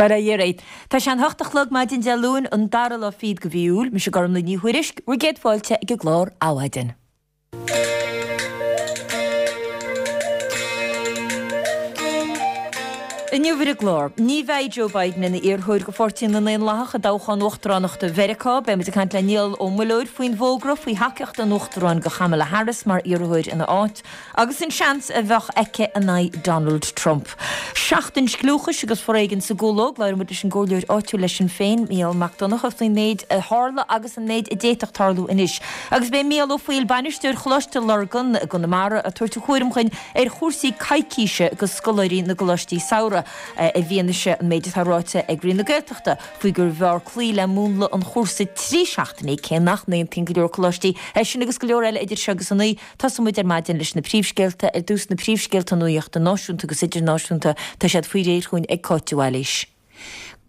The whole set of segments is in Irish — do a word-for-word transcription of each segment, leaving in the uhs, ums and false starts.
Bail ó Dhia oraibh. Tá sé an hocht a chlog maidin Dé Luain, an dara lá fichead de mhí Iúil. Mise Gormlaith Ní Thuairisg, bhur gcéad fáilte ag an gclár Adhmhaidin. Inniu ar an gclár, ní bheidh Joe Biden ina iarrthóir do Pháirtí na nDaonlathach i dtoghchán uachtaránachta Mheiriceá. Beidh muid ag caint le Niall Ó Muilleoir faoin bhfógra faoi thacaíocht an Uachtaráin do Kamala Harris mar iarrthóir ina áit agus an seans a bheadh aici in aghaidh Donald Trump. Seachtain Scliúchais agus Foréigin sa gCúlóg, labhróidh muid leis an gcomhairleoir áitiúil le Sinn Féin, Mícheál Mac Donncha, faoin méid a tharla agus an méid a d'fhéadfadh tarlú anois. Agus beidh Mícheál Ó Foighil, bainisteoir Choláiste Lurgan i gConamara, ag tabhairt a thuairim chugainn ar chúrsaí coicíse do scoláirí na gcoláistí samhraidh. I bhfianaise an méid atá ráite ag Roinn na Gaeltachta faoi gurbh fhearr cloí le múnla an chúrsa trí seachtainí, cé nach n-aontaíonn go leor coláistí é sin agus go leor eile idir seo agus a naoi, tosóidh muid ar maidin leis na príomhscéalta. Ar dtús na príomhscéalta nuachta náisiúnta agus idirnáisiúnta, tá siad faoi réir chugainn ag Cáit de Bhailís.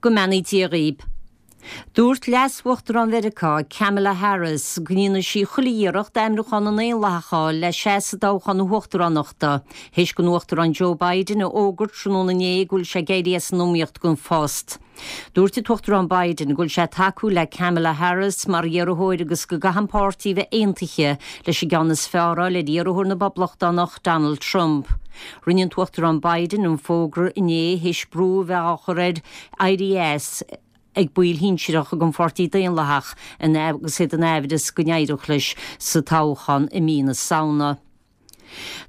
Go mbeannaí Dia dhaoib. Dúirt Leas-Uachtarán Mheiriceá, Kamala Harris, go ndéanfaidh sí chuile iarracht ainmniúchán na nDaonlathach a fháil le seasamh i dtoghchán na huachtaránachta, théis don Uachtarán Joe Biden a fhógairt tráthnóna inné go bhfuil sé ag éirí as an iomaíocht don phost. Dúirt an tUachtarán Biden go bhfuil sé ag tacú le Kamala Harris mar iarrthóir agus go gcaithfidh an páirtí a bheith aontaithe leis an gceann is fearr a fháil ar iarrthóir na bPoblachtánach, Donald Trump. Rinne an tUachtarán Biden an fógra inné théis brú a bheith á chur air éirí as ag baill shinsearacha den Pháirtí Daonlathach agus iad in aimhreas go n-éireodh leis sa toghchán i mí na Samhna.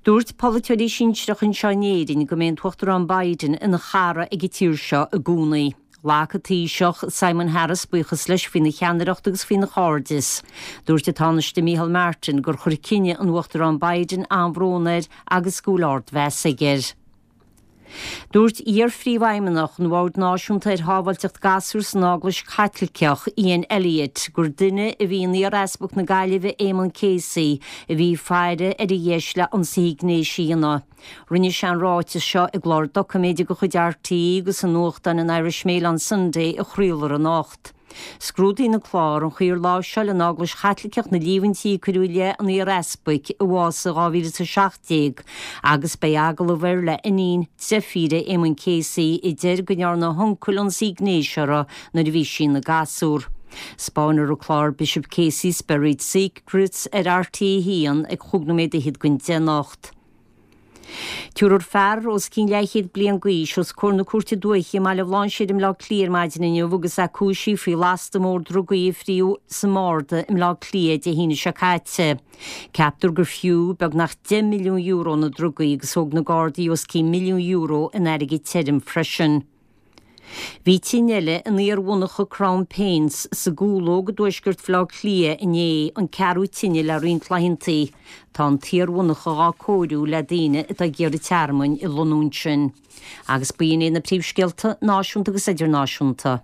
Dúirt polaiteoirí sinsearacha anseo in Éirinn go mbeidh an tUachtarán Biden ina chara ag an tír seo i gcónaí. Ghlac an Taoiseach Simon Harris buíochas leis faoina cheannaireacht agus faoina chairdeas. Dúirt an Tánaiste Micheál Martin gur chuir cinneadh an Uachtaráin Biden an-bhrón air agus go bhfuil ardmheas aige air. Dúirt iar-phríomhfheidhmeannach an Bhoird Náisiúnta ar Shábháilteacht Gasúr san Eaglais Chaitliceach, Ian Elliott, gur duine a bhí in iar-easpag na Gaillimhe Éamonn Casey a bhí ag faire ar a dheis le ionsaithe gnéis a dhéanamh. Rinne sé an ráiteas seo i gclár doiciméide de chuid RTÉ agus i nuachtán an Irish Mail on Sunday a chraolfar anocht. Scrúdaíonn an clár an chaoi ar láimhseáil an Eaglais Chaitliceach na líomhaintí a cuireadh i leith an iar-easpaig, a bhásaigh i dhá mhíle is a seacht déag, agus beidh agallamh air le iníon deirfíre Éamonn Casey a deir go ndearna a huncail ionsaí gnéis uirthi nuair a bhí sí ina gasúr. Spáinfear an clár Bishop Casey's Buried Secrets ar RTÉ a haon ag chúig nóiméad fhichead don deich anocht. Tabharfar fear os cionn leathchéad bliain d'aois os comhair na Cúirte Dúiche i mBaile Bhlainséir i mBleá Cliath ar maidin inniu agus é cúisithe faoi lasta mór drugaí a fríodh sa mbarda i mBleá Cliath Dé hAoine seo caite. Ceaptar gur fiú beagnach deich milliún euro na drugaí agus thóg na Gardaí os cionn milliún euro in airgead tirim freisin. Bhí tine eile in iar-mhonarcha Crown Paints sa gCúlóg i dtuaisceart Bhaile Átha Cliath inné, an ceathrú tine le roinnt laethanta. Tá an t-iar-mhonarcha dhá cóiriú le daoine atá ag iarraidh tearmainn a lonnú ansin. Agus b'in iad na príomhscéalta náisiúnta agus idirnáisiúnta.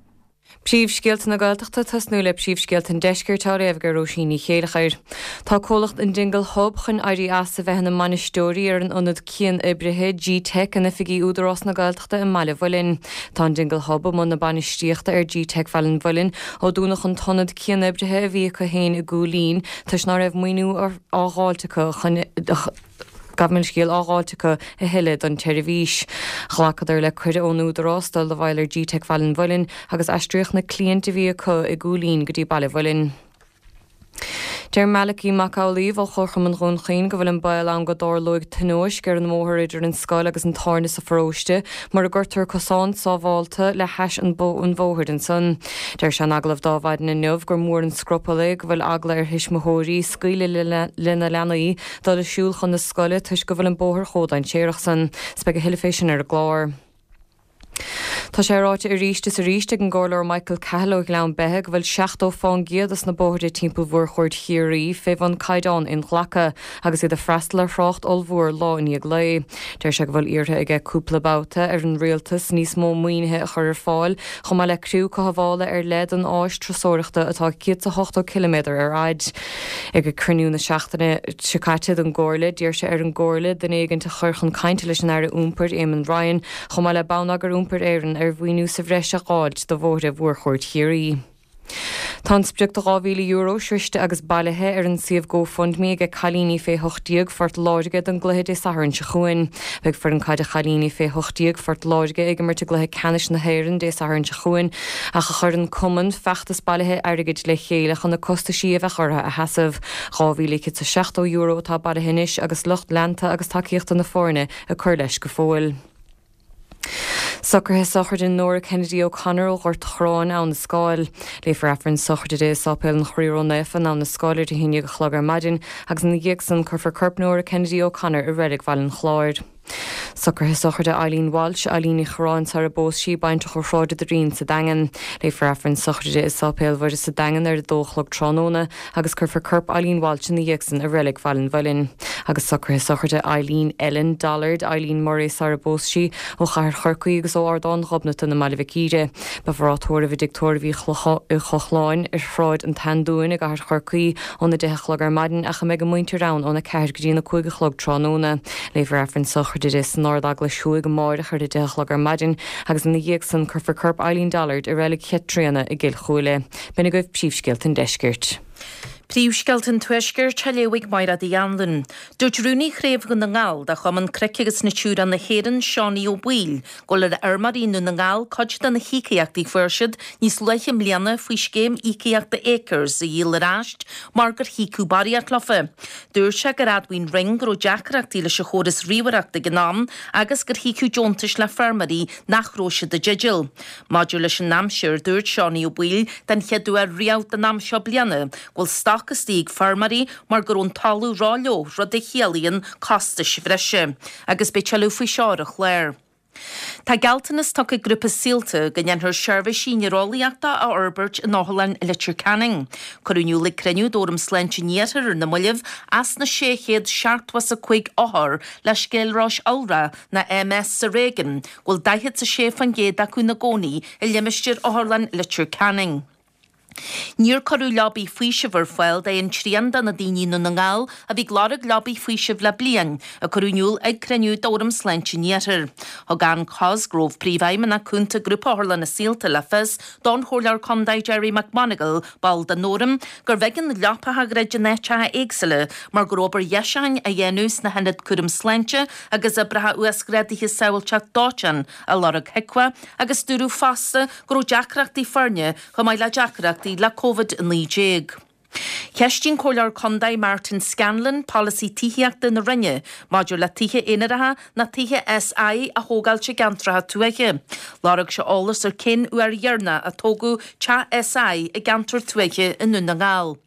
Príomhscéalta na Gaeltachta, Tosnú le príomhscéalta an Deiscirt á léamh ag Róisín Ní Chéilleachair. Tá comhlacht an Dingle Hub chun éirí as a bheith ina mbainisteoirí ar an ionad cian-oibrithe G-Teic in oifigí Údarás na Gaeltachta i mBaile Mhuilinn. Tá an Dingle Hub i mbun na bainistíochta ar G-Teic Bhaile an Mhuilinn ó dúnadh an t-ionad cian-oibrithe a bhí acu féin i gCúil Aodha toisc ná raibh maoiniú á dháilt acu chun Gabh mo leithscéal, á dháilt acu a thuilleadh don tseirbhís. Ghlacadar le cuireadh ón Údarás dul i bhfeighil ar G-Teic Bhaile an Mhuilinn agus aistríodh na cliaint a bhí acu i gCúil Aodha go dtí Baile Mhuilinn. Deir Malachy Mac Amhlaoibh ó Chomharchumann Dhún Chaoin go bhfuil an baol ann go dtarlóidh tionóisc ar an mbóthar idir an scoil agus an tábhairne sa pharóiste mura gcuirtear cosán sábhálta le hais an bhóthair ansan. Deir sé in agallamh d'Adhmhaidin inniu gur mór an scrupall é go bhfuil eagla ar thuismitheoirí scaoileadh lena leanaí dul ag siúl chun na scoile toisc go bhfuil an bóthar chomh dainséarach san. 'S beidh a thuilleadh fé sin ar an gclár. Tá sé ráite arís is arís ag an gComhairleoir Michael Cahill ó Ghleann Beithe go bhfuil seachtó fán gcéad dos na bóithre timpeall Mhórchuaird Chiarraí fé bhun caighdeán inghlactha agus iad ag freastal ar thrácht ollmhór lá i ndiaidh lae. Deir sé go bhfuil iarrtha aige cúpla babhta ar an Rialtas níos mó maoinithe a chur ar fáil chomh maith le criú cothabhála ar leith don áis turasóireachta atá céad 's a hochtó ciliméadar ar fhaid. Ag cruinniú na seachtaine seo caite den gComhairle, d'iarr sé ar an gComhairle duine éigint a chur chun cainte leis an Aire Iompair, Eamon Ryan, chomh maith le Bonneagar Iompair Éireann ar mhaoiniú sa bhreis a dh'fháilt do bhóithre Mhórchuaird Chiarraí. Tá an sprioc de dhá mhíle euro sroichte agus bailithe ar an suíomh GoFundMe ag cailíní fé hocht déag Phort Láirge don gcluiche Dé Sathairn seo chugainn. Beidh foireann caide chailíní fé hocht déag Phort Láirge ag imirt i gcluiche ceannais na hÉireann Dé Sathairn seo chugainn ach chuir an cumann feachtas bailithe airgid le chéile chun na costaisí a bheadh orthu a sheasamh. Dhá mhíle céad is seachtó euro atá bailithe anois agus lucht leanta agus tacaíochta na foirne ag cur leis go fóill. Socruithe sochraide Nora Kennedy O'Connor ó Ghort an Chorráin, Abha na Scáil. Léifear Aifreann sochraide di i Sáipéal an Chroí Ró-Naofa in Abha na Scáil ar a haon déag a chlog ar maidin agus ina dhiaidh san cuirfear corp Nora Kennedy O'Connor i Reilig Bhaile an Chláir. Socruithe sochraide Eileen Walsh, Eileen Ní Chorráin sara bpós sí, baintreach ó Shráid an Doirín sa Daingean. Léifear Aifreann sochraide i Sáipéal Mhuire sa Daingean ar a dó a chlog tráthnóna agus cuirfear corp Eileen Walsh ina dhiaidh san i Reilig Bhaile an Mhuilinn. Agus socruithe sochraide Eileen Ellen Dollard, Eileen Murray sara bpós sí, ó Chathair Chorcaí agus ó Ardán Ghobnatan i mBaile Mhic Íre. Beifear á tórramh i dTigh Tórraimh Uí Chochláin ar Shráid an tSeandúin i gCathair Chorcaí óna deich a chlog ar maidin ach a mbeidh a muintir ann óna ceathair go dtí na cúig a chlog tráthnóna. Léifear Aifreann sochraide di san Ard-Eaglais Thuaidh amáireach ar a deich a chlog ar maidin agus ina dhiaidh san cuirfear corp Eileen Dollard i Reilig Chaitríona i gCill Chúile. B'in agaibh príomhscéalta an deiscirt. Príomhscéalta an Tuaiscirt á léamh ag Máire Uí Anluain. Dúirt Rúnaí Chraobh Dhún na nGall de Chumann Cnoic agus Natura na hÉireann, Seánie Ó Baoill, go bhfuil ar fheirmeoirí i nDún na nGall cuid de na híocaíochtaí a fuair siad níos luaithe i mbliana faoi scéim íocaíochta Acres a dhíol ar ais mar gur híocadh barraíocht leofa. Dúirt sé gur admhaigh an Roinn go raibh deacrachtaí leis an chóras ríomhaireachta ag an am agus gur híocadh deontais le feirmeoirí nach raibh siad i dteideal. Maidir leis an aimsir, dúirt Seánie Ó Baoill den chéad uair riamh don am seo bliana go bhfuil stoc istigh ag feirmeoirí mar go raibh an talamh ró-fhliuch, rud a chiallaíonn costais bhreise. Agus beidh tuilleadh faoi seo ar an chlár. Tá gealltanas tugtha ag Grúpa Saolta go ndéanfar seirbhísí néareolaíochta a fhorbairt in Otharlann Leitir Ceanainn. Cuireadh in iúl ag cruinniú d'Fhóram Sláinte an Iarthair ar na mallaibh as na sé chéad seachtó is a cúig othar le scléaróis iolrach nó MS sa réigiún go bhfuil daichead is a sé faoin gcéad acu ina gcónaí i limistéar Otharlann Leitir Ceanainn. Níor cuireadh leabaí faoisimh ar fáil d'aon trian de na daoine i nDún na nGall a bhí ag lorg leabaí faoisimh le bliain, a cuireadh in iúl ag cruinniú d'Fhóram Sláinte an Iarthair. Thug Ann Cosgrove, Príomhfheidhmeannach Cúnta Grúpa Otharlanna Saolta le fios don Chomhairleoir Contae Gerry McMonagall, ball den Fhóram, gur bheag na leapacha a dhruid in áiteacha éagsúla mar go raibh obair dheisiúcháin á dhéanamh sna hionaid cúram sláinte agus oibreacha uasghrádaithe sábháilteacht dóiteáin á lorg chucu agus dúradh fosta go raibh deacrachtaí foirne chomh maith le deacrachtaí le Covid a naoi déag. Cheistigh an Comhairleoir Contae Martin Scanlon polasaí tithíochta na Roinne maidir le tithe aonaracha nó tithe SI a thógáilt i gceantracha tuaithe. Lorg sé eolas ar cén uair dheireanach a tógadh teach SI i gceantar tuaithe i nDún na nGall.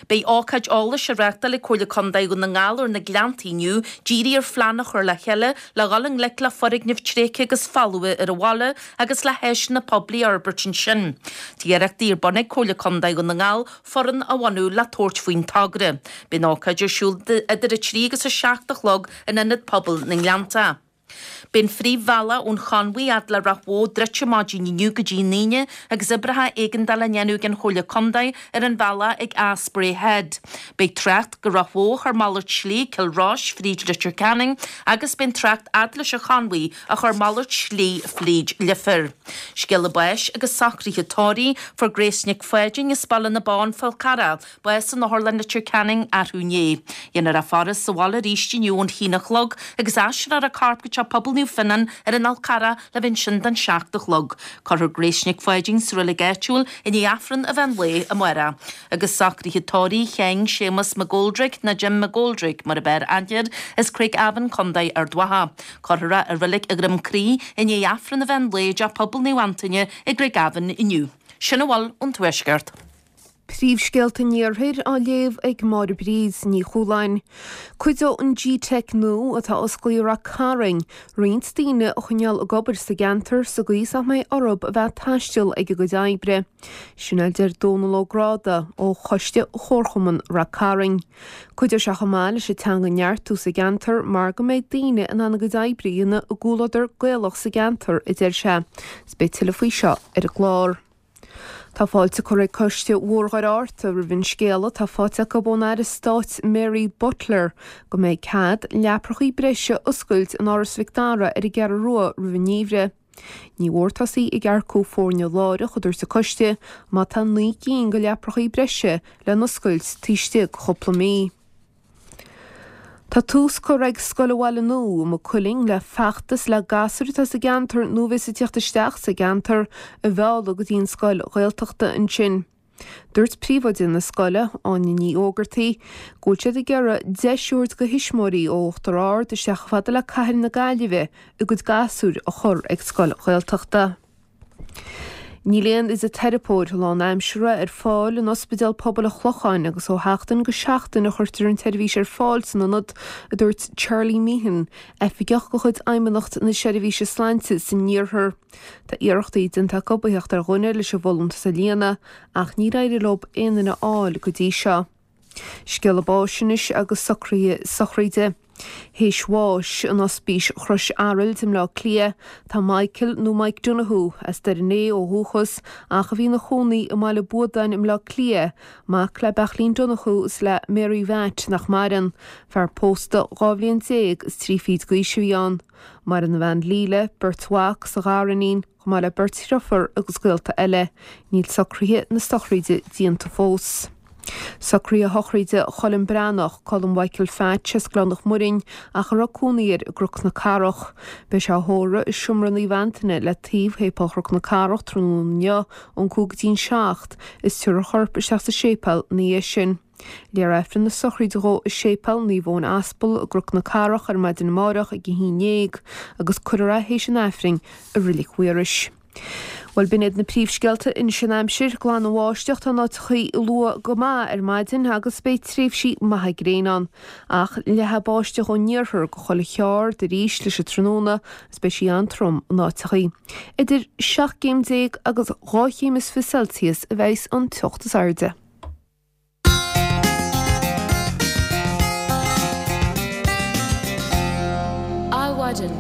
Beidh ócáid eolais á reáchtáil ag Comhairle Contae Dhún na nGall ar na Gleanntaí inniu, dírithe ar phlean a chur le chéile le dhul i ngleic le foirgnimh tréigthe agus folmha ar an bhaile agus le háiseanna poiblí a fhorbairt ansin. Tá iarrachtaí ar bun ag Comhairle Contae Dhún na nGall foireann a bhunú le tabhairt faoin togra. Beidh an ócáid ar siúl idir a trí agus a seacht a chlog in Ionad Pobail na nGleanntach. Beidh an phríomhbhealach ón Chonmhaigh fhad le Ráth Bhoth druidte maidin inniu go dtí an Aoine agus oibreacha éigeandála á ndéanamh ag an Chomhairle Contae ar an bhealach ag Eas Bray Head. Beidh trácht go Ráth Bhoth á chur malairt slí ag Cill Rois fríd Leitir Ceanainn agus beidh an trácht fhad leis an Chonmhaigh á chur malairt slí fríd Leifear. Scéala báis agus socruithe tórraimh fuair Grace Nic Pháidín as Baile na Bó, An Fál Carrach, bás in Otharlann Leitir Ceanainn arú inné. Dhéanfar í a faire sa bhaile arís inniu ón haon a chlog agus aistreofar a corp go Teach Pobail Naomh Fionnán ar an Fhál Carrach le bheith ansin don seacht a chlog. Cuirfear Grace Nic Pháidín sa reilig áitiúil i ndiaidh Aifreann an mheán lae amárach. Agus socruithe tórraimh Sheáin Séamus McGoldrick nó Jim McGoldrick mar ab fhearr aithne air as Craigavon Contae Ard Mhacha. Cuirfear é i reilig Dhroim Crí i ndiaidh Aifreann an mheán lae i dTeach Pobail Naomh Antaine i gCraigavon inniu. Sin a bhfuil ón Tuaisceart. Príomhscéalta an Iarthair á léamh ag Máire Bríd Ní Chualáin. Cuideoidh an G-Teic nua atá osclaithe i Rath Cairn roinnt daoine a choinneáil ag obair sa gceantar sa gcaoi is nach mbeidh orthu a bheith ag taisteal ag a gcuid oibre. Sin a deir Dónal Ó Gráda ó Choiste Chomharchumann Rath Cairn. Cuideoidh sé chomh maith leis an teanga a neartú sa gceantar mar go mbeidh daoine in ann a gcuid oibre a dhéanamh i gcomhluadar Gaelach sa gceantar, a deir sé. Is beidh tuilleadh faoi seo ar an gclár. Tá fáilte curtha ag Coiste Mhór-Dhoire Fhearta roimh an scéala atá faighte acu ón Aire Stáit Mary Butler go mbeidh cead leaprachaí breise a oscailt in Áras Mhic Dara ar an gCeathrú Rua roimh an ngeimhreadh. Ní mhór tosaí ag earcú foirne láithreach, a dúirt an coiste, má tá naoi gcinn de leapacha breise le n-oscailt taobh istigh de chúpla mí. Tá tús curtha ag Scoil an Bhaile Nua i Maigh Cuilinn le feachtas le gasúir atá sa gceantar nó a bheas ag teacht isteach sa gceantar a mhealladh go dtí an scoil Ghaeltachta ansin. Dúirt príomhoide na scoile, Áine Ní Ógartaigh, go bhfuil siad ag iarraidh deis a thabhairt do thuismitheoirí ó Uachtar Ard isteach chomh fada le cathair na Gaillimhe a gcuid gasúir a chur ag scoil Ghaeltachta. Níl aon fhisiteiripeoir lánaimseartha ar fáil in Ospidéal Pobail an Chlocháin agus ó sheachtain go seachtain a chuirtear an tseirbhís ar fáil san ionad, a dúirt Charlie Meehan, oifigeach de chuid Fheidhmeannacht na Seirbhíse Sláinte san Iarthar. Tá iarrachtaí déanta acu a theacht ar dhuine leis an bhfolúntas a líonadh ach níor éirigh leo aon duine a fháil go dtí seo. Scéala báis anois agus socruithe sochraide. Théis bháis in Ospís Chrois Araild i mBleá Cliath, tá Michael nó Mike Donoghue, as Doire an Fhéich ó dhúchas ach a bhí ina chónaí i mBaile Buadáin i mBleá Cliath, mac le Beachlín Donoghue is le Mary Mhatt nach maireann, fear pósta dhá bhliain déag is trí fichid d'aois a bhí ann. Maireann a bhean Leila, beirt mhac is a ghariníon, chomh maith le beirt dhriofúr agus gaolta eile. Níl socruithe na sochraide déanta fós. Socruithe sochraide Cholm Breathnach, Colm Mhichael Phatch as Gleann an Mhuirinn ach a raibh cónaí air i gCnoc na Cathrach. Beidh sé á thórramh i Seomra Naomh Antaine le taobh Shéipéal Chnoc na Cathrach tráthnóna inniu ón cúig go dtí an seacht is tabharfar a chorp isteach sa séipéal ina dhiaidh sin. Léifear Aifreann na sochraide dhó i Séipéal Naomh Eoin Aspal i gCnoc na Cathrach ar maidin amárach ag a haon déag agus cuirfear é théis an Aifrinn i Reilig Mhaorais. Bhuel, b'in iad na príomhscéalta anois an aimsir, glan an bháisteach, tá in áiteachaí luath go maith ar maidin agus beidh tréimhsí maithe gréine ann. Ach leathfaidh báisteach ón iarthar go chuile cheard arís leis an tráthnóna agus beidh sí an-trom in áiteachaí. Idir seacht gcéim déag agus dhá chéim is fiche Celsius a bheas an teocht is airde. Adhmhaidin.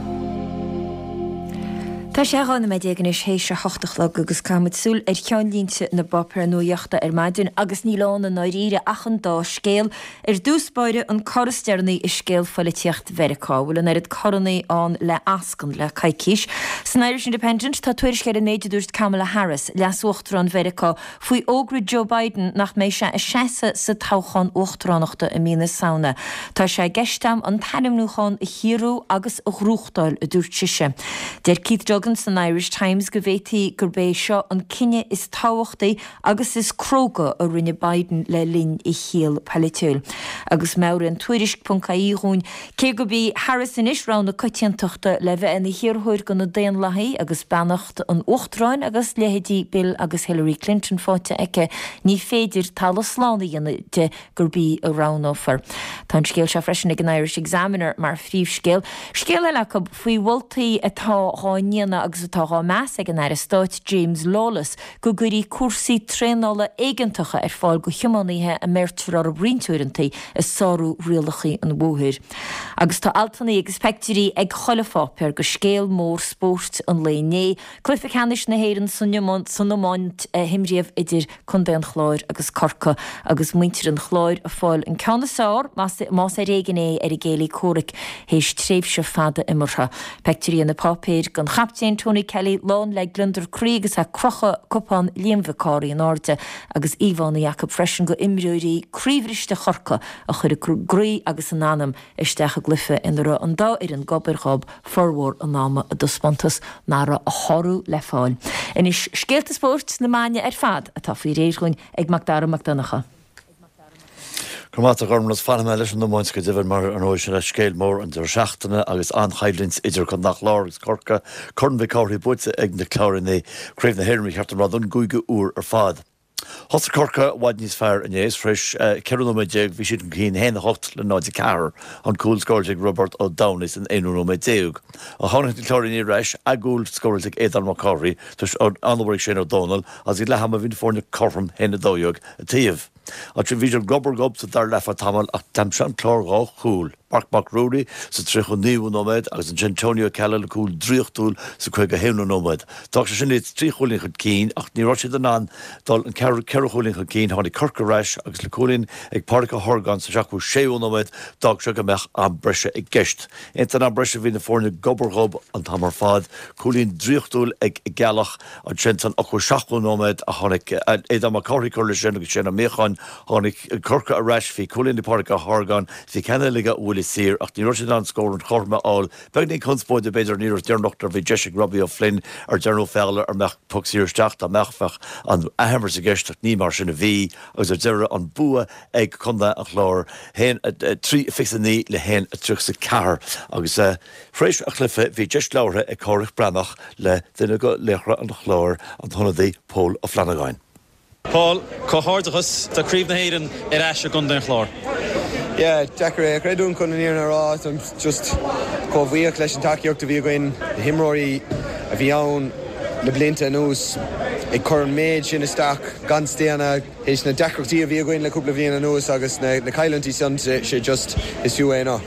Tá sé dhá nóiméad déag anois théis a hocht a chlog agus caithfimid súil ar cheannlínte na bpáipéar nuaíochta ar maidin agus níl ann i ndáiríre ach an dá scéal. Ar dtús báire an cor is deireanaí i scéal phoilitíocht Mheiriceá. Bhfuil an oiread corannaí ann le ascaill le coicís. San Irish Independent tá tuairisc ar an méid a dúirt Kamala Harris, leas-uachtarán Mheiriceá, faoi fhógra Joe Biden nach mbeidh sé ag seasamh sa toghchán uachtaránachta i mí na Samhna. Tá sé i gceist agam an t-ainmniúchán a chiorrú agus a ghnóthachtáil, a dúirt sise. Deir Keith Duggan san Irish Times go bhféadfaí gurb é seo an cinneadh is tábhachtaí agus is cróga a rinne Biden le linn a shaoil polaitiúil. Agus meabhraíonn Tuairisc ponc ie dhúinn cé gurb í Harris anois rogha na coitiantachta le bheith ina hiarrthóir do na Daonlathaigh agus beannacht an Uachtaráin agus leithéidí Bill agus Hillary Clinton faighte aici, ní féidir talamh slán a dhéanamh de gurb í a roghnófar. Tá an scéal seo freisin ag an Irish Examiner mar phríomhscéal. Scéal eile acu faoi mholtaí atá dhá ndéanamh agus atá dhá meas ag an Aire Stáit James Lawless go gcuirfí cúrsaí traenála éigeantacha ar fáil go thiománaithe a mbeirtear orthu roinnt uaireanta ag sárú rialacha an bhóthair. Agus tá altanna agus peictiúirí ag chuile pháipéar go scéal mór spóirt an lae inné, Cluiche Ceannais na hÉireann san iomáint a himríodh idir Contae an Chláir agus Corcaigh agus muintir an Chláir ag fáil an ceann is fearr, más ar éigean é, ar a gcéilí comhraic théis tréimhse fada imeartha. Peictiúirí ar na páipéir den chaptaen Tony Kelly lán le gliondar croí agus é ag crochadh cupán Liam Mhic Cárthaigh in airde agus íomhánna acu freisin go imreoirí croíbhriste Chorcaí a chuir a gcroí agus a n-anam isteach i gcluiche ina raibh an dá fhoireann gob ar ghob formhór an ama i dtaispeántas nach raibh a shárú le fáil. Anois scéalta spóirt na maidine ar fad atá faoi réir dhúinn ag Macdara Mac Donncha. Go raibh maith agat a Ghormfhlaith, fanfaidh mé leis an iomáint go deimhin mar ar ndóigh sin é scéal mór an deireadh seachtaine agus an-choimhlint idir Contae an Chláir agus Corcaigh, Corn Mhic Cárthaigh buaite ag na Cláirínigh, Craobh na hÉireann ba cheart dom a rá don gcúigiú huair ar fad. Thosaigh Corcaigh i bhfad níos fearr inné is tar éis ceithre nóiméad déag bhí siad chun cinn a haon a hocht le náid a ceathair, an cúl scóráilte ag Roibeard Ó Domhnaill san aonú nóiméad déag. Ach tháinig na Cláirínigh ar ais, a gcúl scóráilte ag Aodán Mac Cárthaigh tar éis an-obair ag Shane Ó Domhnaill agus ag leath ama bhí na foirne cothrom a haon a dó dhéag a taobh. Ansin bhí siad gob ar ghob sa dara leath tamall ach d'aimsigh an Clár dhá chúl. Marc Mac Ruairí sa tríocha naoú nóiméad agus ansin Tony Ó Ceallaigh le cúl draíochtúil sa caoga haonú nóiméad. D'fhág sé sin iad trí chúilín chun cinn ach ní raibh siad in ann dul an ceithre chúilín chun cinn. Tháinig Corcaigh ar ais agus le cúilín ag Pádraic Ó hOrgáin sa seachtó séú nóiméad d'fhág sé go mbeadh am breise i gceist. Ins an am breise bhí na foirne gob ar ghob an t-am ar fad. Cúilín draíochtúil ag Gealach ansin san ochtó seachtú nóiméad a tháinig Aodán Mac Cárthaigh cur leis sin agus Séan Ó Míocháin. Tháinig Corcaigh ar ais, bhí cúilín ag Pádraic Ó hOrgáin, bhí ceann eile aige ó bhuille saor ach ní raibh siad in ann scór an chothroime a fháil. Beagnín conspóide b'fhéidir an iarracht dheireanach nuair a bhí deis ag Robbie O'Flynn ar Darren Ó Fearghaile an mbeadh poc saor isteach dá mbeadh bheadh an athimirt i gceist ach ní mar sin a bhí agus ar deireadh an bua ag Contae an Chláir haon a trí fiche a naoi le haon a tríocha a ceathair agus tar éis an chluiche bhí deis labhartha ag Cárthach Breathnach le duine de laochra an Chláir, an t-ionadaí Pól Ó Flannagáin. Paul, comhghairdeachas, tá Craobh na hÉireann ar ais i gContae an Chláir. Yeah, deacair é a chreidiúint chun an fhírinne a rá. Táim just chomh bhuíoch leis an tacaíocht a bhí againn, na himreoirí a bhí ann le blianta anuas ag cur an méid sin isteach gan staonadh théis na deacrachtaí a bhí againn le cúpla bliain anuas agus na cailliúintí san, sé just is fiú é ná.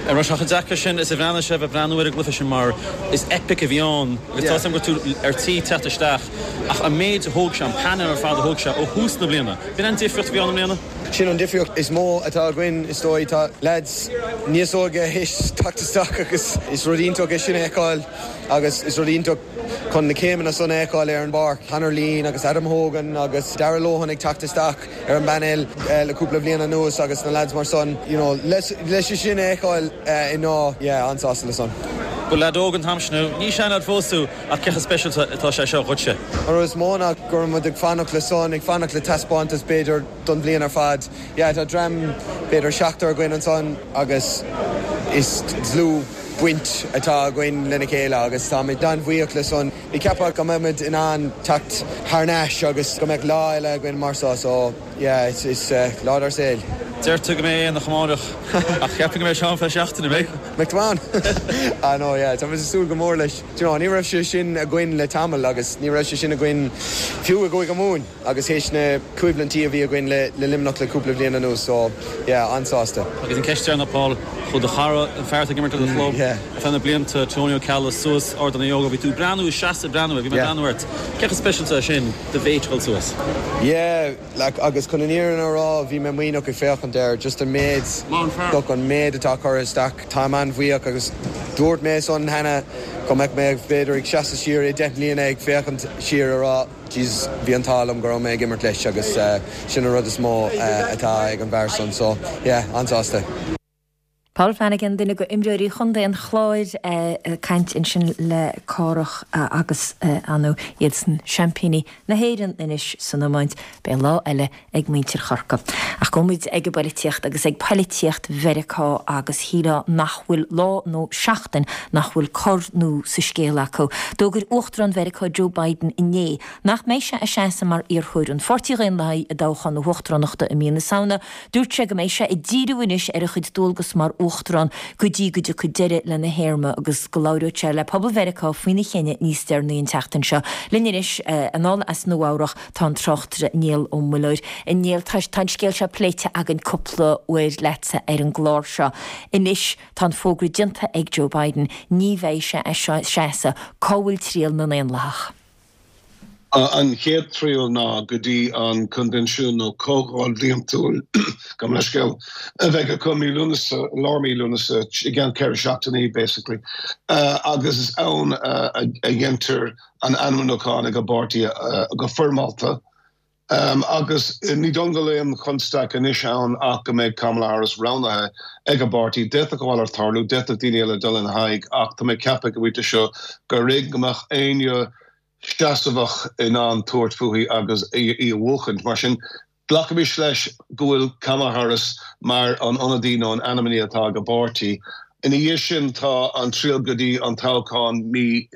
An raibh sé chomh deacair sin is a bhreathnaigh sibh ag breathnú ar an gcluiche sin mar is epic a bhí ann agus tá a fhios agam go raibh tú ar tí teacht isteach ach an méid a thóg sé, an painéal ar fad a thóg sé ó thús na bliana, b'in an difríocht a bhí ann i mbliana? Sin an difríocht is mó atá againn is dóigh. Tá leaids níos óige théis teacht isteach agus is rud iontach é sin a fheiceáil agus is rud iontach chun na céimeanna san a fheiceáil ar an bpáirc. Conor Leen agus Adam Hogan agus Darragh Lohan ag teacht isteach. ar an bpainéal le cúpla bliain anuas agus na lads mar san, you know, leis sin a fheiceáil inniu, yeah, an-sásta le san. Ba leaid óg an t-am sin thú, ní seanleaid fós thú ach cé chomh speisialta atá sé seo dhuitse? An rud is mó ná go raibh muid ag fanacht le san, ag fanacht le taispeántas b'fhéidir don bhliain ar fad. Yeah, tá dream b'fhéidir seachtar againn ansan agus is dlúthbhaint atá againn lena chéile agus táimid an-bhuíoch le san. Ní cheapfá go mbeadh muid in ann teacht thar n-ais agus go mbeadh lá eile againn mar seo so yeah it's it's lá dár saol. Deir tú go mbeidh aonach amárach ach cheapfainn go mbeidh sé ann feadh seachtaine, an mbeidh? Mbeidh tú ann? Ah no yeah tá muid ag súil go mór leis. Do you know ní raibh sé sin againn le tamall agus ní raibh sé sin againn fiú i gCúige Mumhan agus théis na coimhlintí a bhí againn le le Luimneach le cúpla bhliain anuas so yeah an-sásta. Agus an ceist deireanach Paul, chuaigh do chara, an fear atá ag imirt le do chlub ar feadh na blianta, Tony Ó Ceallaigh, suas Ardán na Ióga, bhí tú ag breathnú, ag seasamh ag breathnú air, bhí mé ag breathnú ort. Cé chomh speisialta é sin do mhéit a dhul suas? Yeah, like agus chun an fhírinne a rá, bhí mé maoithneach ag féachaint air, just an méid, look, an méid atá curtha isteach, táim an-bhuíoch agus dúirt mé san cheana go mbeadh mé b'fhéidir ag seasamh siar i deich mbliana ag féachaint siar a rá, Jeez, bhí an t-ádh liom go raibh mé ag imirt leis agus sin an rud is mó atá ag an bhfear san so yeah, an-sásta. Paul Flanagan, duine de imreoirí Chontae an Chláir ag caint ansin le Cárthach agus ar ndóigh iadsan seaimpíní na hÉireann anois san iomáint. Beidh lá eile ag muintir Chorcaí. Ach gabhfaidh muid ag an bpolaitíocht agus ag polaitíocht Mheiriceá agus shílfeá nach bhfuil lá nó seachtain nach bhfuil cor nua sa scéal acu. D'fhógair Uachtarán Mheiriceá Joe Biden inné nach mbeidh sé ag seasamh mar iarrthóir an Pháirtí Dhaonlathaigh i dtoghchán na huachtaránachta i mí na Samhna. Dúirt sé go mbeidh sé ag díriú anois ar a chuid dualgas mar Uachtarán go dtí go dtiocfaidh deireadh lena théarma agus go labhróidh sé le pobal Mheiriceá faoina chinneadh níos deireanaí an tseachtain seo. Linn anois anall as Nua-Eabhrac tá an tráchtaire Niall Ó Muilleoir. A Néill, tá an scéal seo pléite againn cúpla uair leatsa ar an gclár seo. Anois tá an fógra déanta ag Joe Biden, ní bheidh sé ag seasamh. Cá bhfuil triall na nDaonlathach? An chéad triall ná go dtí an coinbhinsiún nó comhdháil bhliantúil, gabh mo leithscéal, a bheidh acu mí Lúnasa, lár mí Lúnasa, i gceann ceithre seachtainí basically, agus is ann a dhéantar an ainmniúchán ag an bpáirtí go foirmeálta. Agus ní dóigh go bhfuil aon chonstaic anois ann ach go mbeidh Kamala Harris roghnaithe ag an bpáirtí. D'fhéadfadh a mhalairt tarlú, d'fhéadfadh daoine eile dul ina haghaidh ach tá mé ag ceapadh go bhfuil seo gur éigean go mbeadh éinne seasamhach in ann tabhairt fúithi agus í a bhuachaint. Mar sin, glacaimis leis go bhfuil Kamala Harris mar an ionadaí nó an ainmní atá ag an bpáirtí. Ina dhiaidh sin tá an triall go dtí an toghchán mí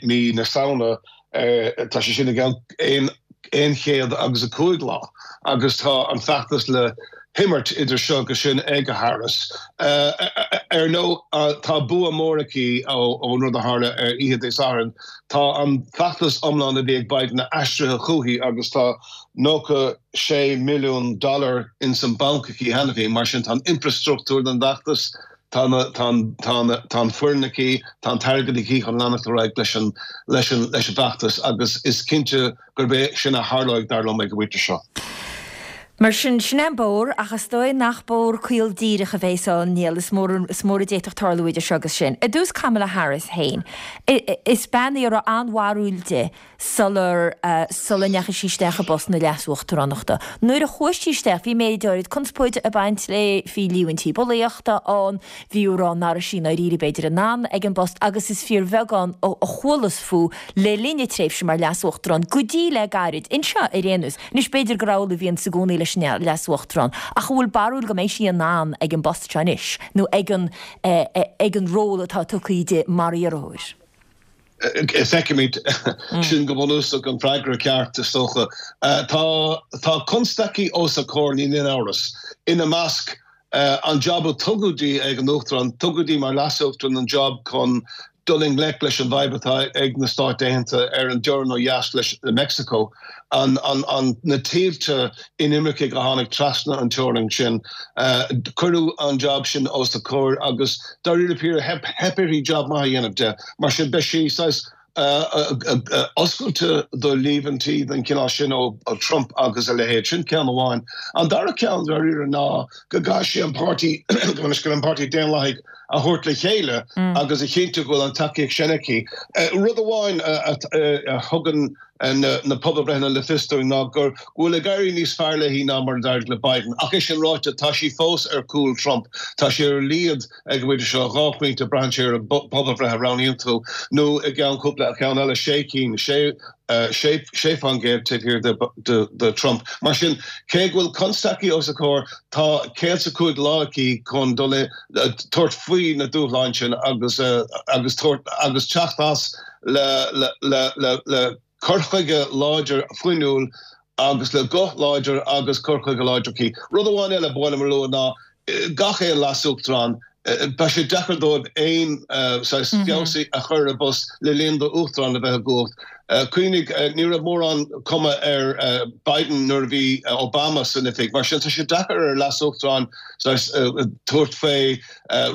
mí na Samhna, tá sé sin i gceann aon chéad agus a cúig lá agus tá an feachtas le himirt idir seo agus sin ag Harris. Ar ndóigh, tá bua mór aici ón rud a tharla ar oíche Dé Sathairn. Tá an feachtas iomlán a bhí ag Biden aistrithe chuici agus tá nócha sé milliún dollar ins an banc aici cheana féin. Mar sin tá an infreastruchtúr don bhfeachtas, tá tá an foireann aici, tá an t-airgead aici chun leanacht ar aghaidh leis an leis an leis an bhfeachtas agus is cinnte gurb é sin a tharlóidh dar liom ag an bpointe seo. Mar sin, sin é an bóthar, ach is dóigh nach bóthar caol díreach a bheas ann, Niall, is mór is mór a d'fhéadfadh tarlú idir seo agus sin. I dtús Kamala Harris féin, is bean í a raibh an-bharúil di sular sula ndeachaigh sí isteach i bpost na leas-uachtaránachta. Nuair a chuaigh sí isteach, bhí méid áirid conspóide ag baint léi, bhí líomhaintí bulaíochta ann, bhí á rá nach raibh sí i ndáiríre b'fhéidir in ann ag an bpost agus is fíorbheagán a chualas fúithi le linn a tréimhse mar leas-uachtarán, go dtí le gairid, anseo ar aon nós. Anois b'fhéidir gur amhlaidh a bhíonns i gcónaí leis an leas-uachtarán, ach an bhfuil barúil go mbeidh sí in ann ag an bpost seo anois, nó ag an ag an ról atá tugtha di mar iarrthóir? Feicfimid. Sin go bunúsach an freagra ceart, is dócha. Tá tá constaicí os a comhair, níl aon amhras. Ina measc, an jab a tugadh di ag an Uachtarán, tugadh di mar Leas-Uachtarán an jab chun dul i ngleic leis an bhfadhb atá ag na Stáit Aontaithe ar an dteorainn ó dheas leis Meicsiceo, an an na tuilte inimircigh a tháinig trasna an teorainn sin. Cuireadh an jab sin os a comhair agus dáiríre píre theip theip uirthi jab maith a dhéanamh de. Mar sin beidh sí saghas oscailte do líomhaintí den chineál sin ó Trump agus a leithéid. Sin ceann amháin. An dara ceann dáiríre ná go gcaithfidh sí an páirtí an páirtí Daonlathaigh a thabhairt le chéile agus a chinntiú go bhfuil an tacaíocht sin aici. Rud amháin a thugann na pobalbhreitheanna le fios dúinn ná go bhfuil ag éirí níos fearr léi ná mar a d'éirigh le Biden. Ach é sin ráite, tá sí fós ar chúl Trump. Tá sí ar a laghad ag an bpointe seo, dhá phointe, braitheann sé ar an bpobalbhreith a roghnaíonn tú, nó i gceann cúpla ceann eile, sé cinn, sé sé faoin gcéad taobh thiar de de Trump. Mar sin, cé go bhfuil constaicí os a comhair, tá céad is a cúig lá aici chun dul i tabhairt faoi na dúshláin sin agus agus tabhairt agus teacht as le le le le le cur chuige láidir fuinniúil agus le guth láidir agus cur chuige láidir aici. Rud amháin eile ba mhaith liom a lua ná gach aon leas-uachtarán, beidh sé deacair dóibh aon saghas feabhas a chur ar a bpost le linn d'uachtarán a bheith i gcumhacht. Cuimhnigh, ní raibh mórán cuma ar Biden nuair a bhí Obama san oifig. Mar sin, tá sé deacair ar leas-uachtarán saghas tabhairt faoi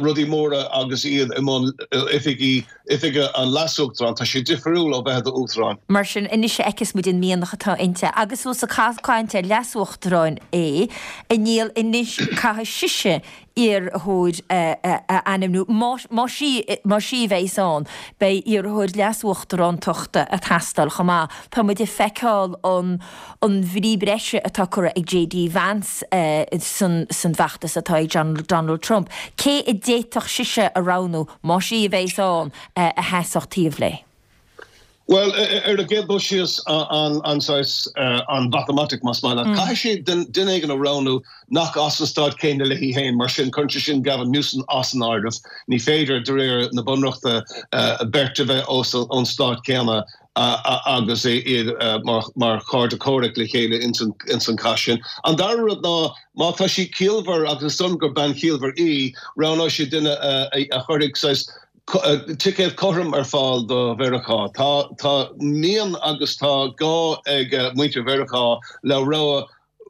rudaí móra agus iad i mbun oifigí oifige an leas-uachtaráin. Tá sé difriúil ó bheith i d'uachtarán. Mar sin, anois a fheicfeas muid an mianach atá inti. Agus ós ag caint ar leas-uachtaráin é, a Niall, anois caithfidh sise iarrthóir a ainmniú. Más í a bheas ann, beidh iarrthóir leas-uachtarántachta ag teastáil chomh maith. Tá muid ag feiceáil an an bhrí breise atá curtha ag JD Vance san bhfeachtas atá ag Donald Trump. Cé a d'fhéadfadh sise a roghnú, más í a bheas ann, a sheasfadh taobh léi? Bhuel, ar an gcéad dul síos, an saghas, an mhatamaitic, más maith leat, caithfidh sí duine éigin a roghnú nach as an stát céanna léi féin, mar sin cuireann sé sin Gavin Newsom as an áireamh. Ní féidir, de réir na bunreachta, beirt a bheith ón stát céanna agus iad mar chairde comhraic le chéile ins an chath sin. An dara rud ná, má tá sí ciallmhar, agus is dóigh liom gur bean chiallmhar í, roghnóidh sí duine a chuirfidh saghas ticéad cothrom ar fáil do Mheiriceá. Tá tá mian agus tá gá ag muintir Mheiriceá le rogha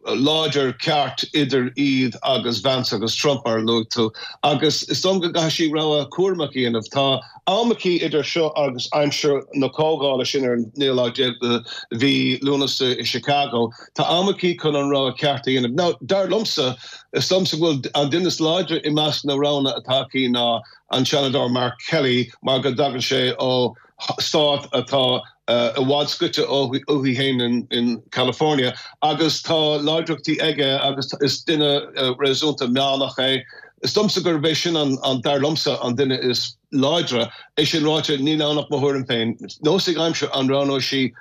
láidir ceart idir iad agus Vance agus Trump, mar a luaigh tú, agus is dóigh liom go gcaithfidh sí rogha cúramach a dhéanamh. Tá am aici idir seo agus aimsir na comhdhála sin ar an naoú lá déag de mhí Lúnasa i Chicago. Tá am aici chun an rogha ceart a dhéanamh. Now, dar liomsa, is dóigh liomsa go bhfuil an duine is láidre i measc na roghanna atá aici ná an Seanadóir Mark Kelly mar go dtagann sé ó stát atá i bhfad scoite uaithi féin in California agus tá láidreachtaí aige agus is duine réasúnta meánach é. Is dóigh liomsa gurb é sin an, dar liomsa, an duine is láidre. É sin ráite, níl ann ach mo thuairim féin. Neosfaidh an aimsir an roghnóidh sí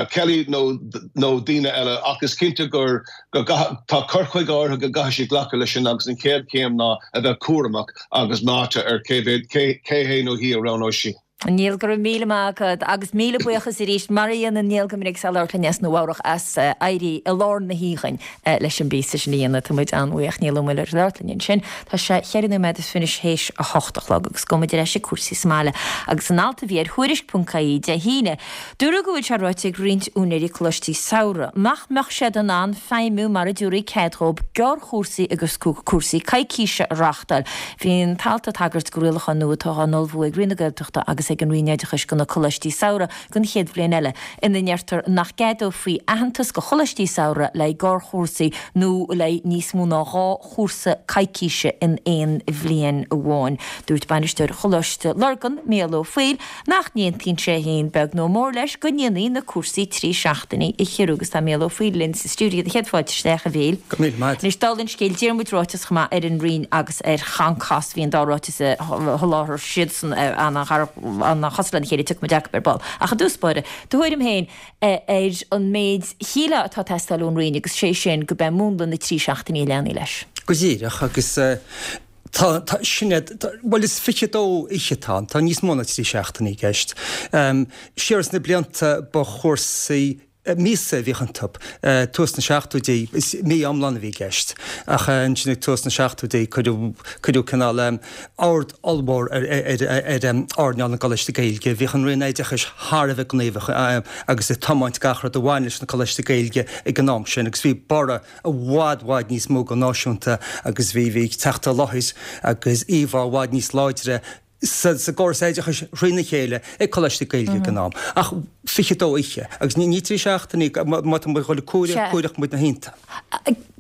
Kelly nó nó daoine eile ach is cinnte gur go tá cur chuige áirithe go gcaithfidh sí glacadh leis sin agus an chéad chéim ná a bheith cúramach agus meáite ar cé mhéad cé cé hé nó hí a roghnóidh sí. Niall, go raibh míle maith agat agus míle buíochas arís mar a dhéanann Niall go minic is é ag labhairt linn as Nua Eabhrach as éirí i lár na hoíche leis an bpíosa sin a dhéanamh. Tá muid an-bhuíoch Niall Ó Muilleoir ag labhairt linn ansin. Tá sé cheithre nóiméad is fiche théis a hocht a chlog agus gabhfaidh muid ar ais ag cúrsaí sa mbaile agus an alt a bhí ar Thuairisc ponc ie Dé hAoine. Dúradh go bhfuil sé ráite ag roinnt úinéirí coláistí samhraidh nach mbeadh siad in ann feidhmiú mara dtabharfaí cead dhóibh gearrchúrsaí agus cúrsaí coicíse a reáchtáil. Bhí an t-alt ag tagairt do rialacháin nua atá á n-ullmhú ag Roinn na Gaeltachta agus ag an Roinn Oideachais do na coláistí samhraidh don chéad bhliain eile, ina ndeirtear nach gceadófaí aitheantas do choláistí samhraidh le haghaidh gearrchúrsaí nó le haghaidh níos mó ná dhá chúrsa coicíse in aon bhliain amháin. Dúirt bainisteoir Choláiste Lurgan, Mícheál Ó Foighil, nach n-aontaíonn sé féin beag nó mór leis go ndéanfaí na cúrsaí trí seachtainí a chiorrú agus tá Mícheál Ó Foighil linn sa stiúideo do chéad fáilte isteach a Mhíchíl. Go míle maith. Anois dála an scéil Diarmuid ráiteas chomh maith ar an Roinn agus ar Choncas, bhí an dá ráiteas a sholáthair siadsan an-chosúil lena chéile, tiocfaidh muid acu ar ball. Ach i dtús báire, do thuairim féin ar an méid shílfeá atá ag teastáil ón Roinn agus sé sin go b'é múnla na trí seachtainí a leanfaí leis. Go díreach, agus tá, tá, sin é, bhuel is fiche dó oíche atá ann, tá níos mó ná trí seachtainí i gceist. Siar sna blianta ba chúrsaí míosa a bhíodh iontu. Tús na seachtóidí, is mí iomlán a bhí i gceist, ach ansin ag tús na seachtóidí cuireadh, cuireadh cineál ord ollmhór ar, ar, ar earnáil na gcoláistí Gaeilge. Bhíodh an Roinn Oideachais thar a bheith gníomhach agus ag tiomáint gach rud a bhain leis na coláistí Gaeilge ag an am sin agus bhí borradh i bhfad, bhfad níos mó go náisiúnta agus bhí, bhí teacht i láthair agus íomhá i bhfad níos láidre sa gcóras oideachais thrína chéile ag Coláistí Gaeilge ag an am. Ach fiche dó oíche, agus ní trí seachtainí, má tá muid ag dul ag comhaireamh, comhaireoidh muid na hoícheanta.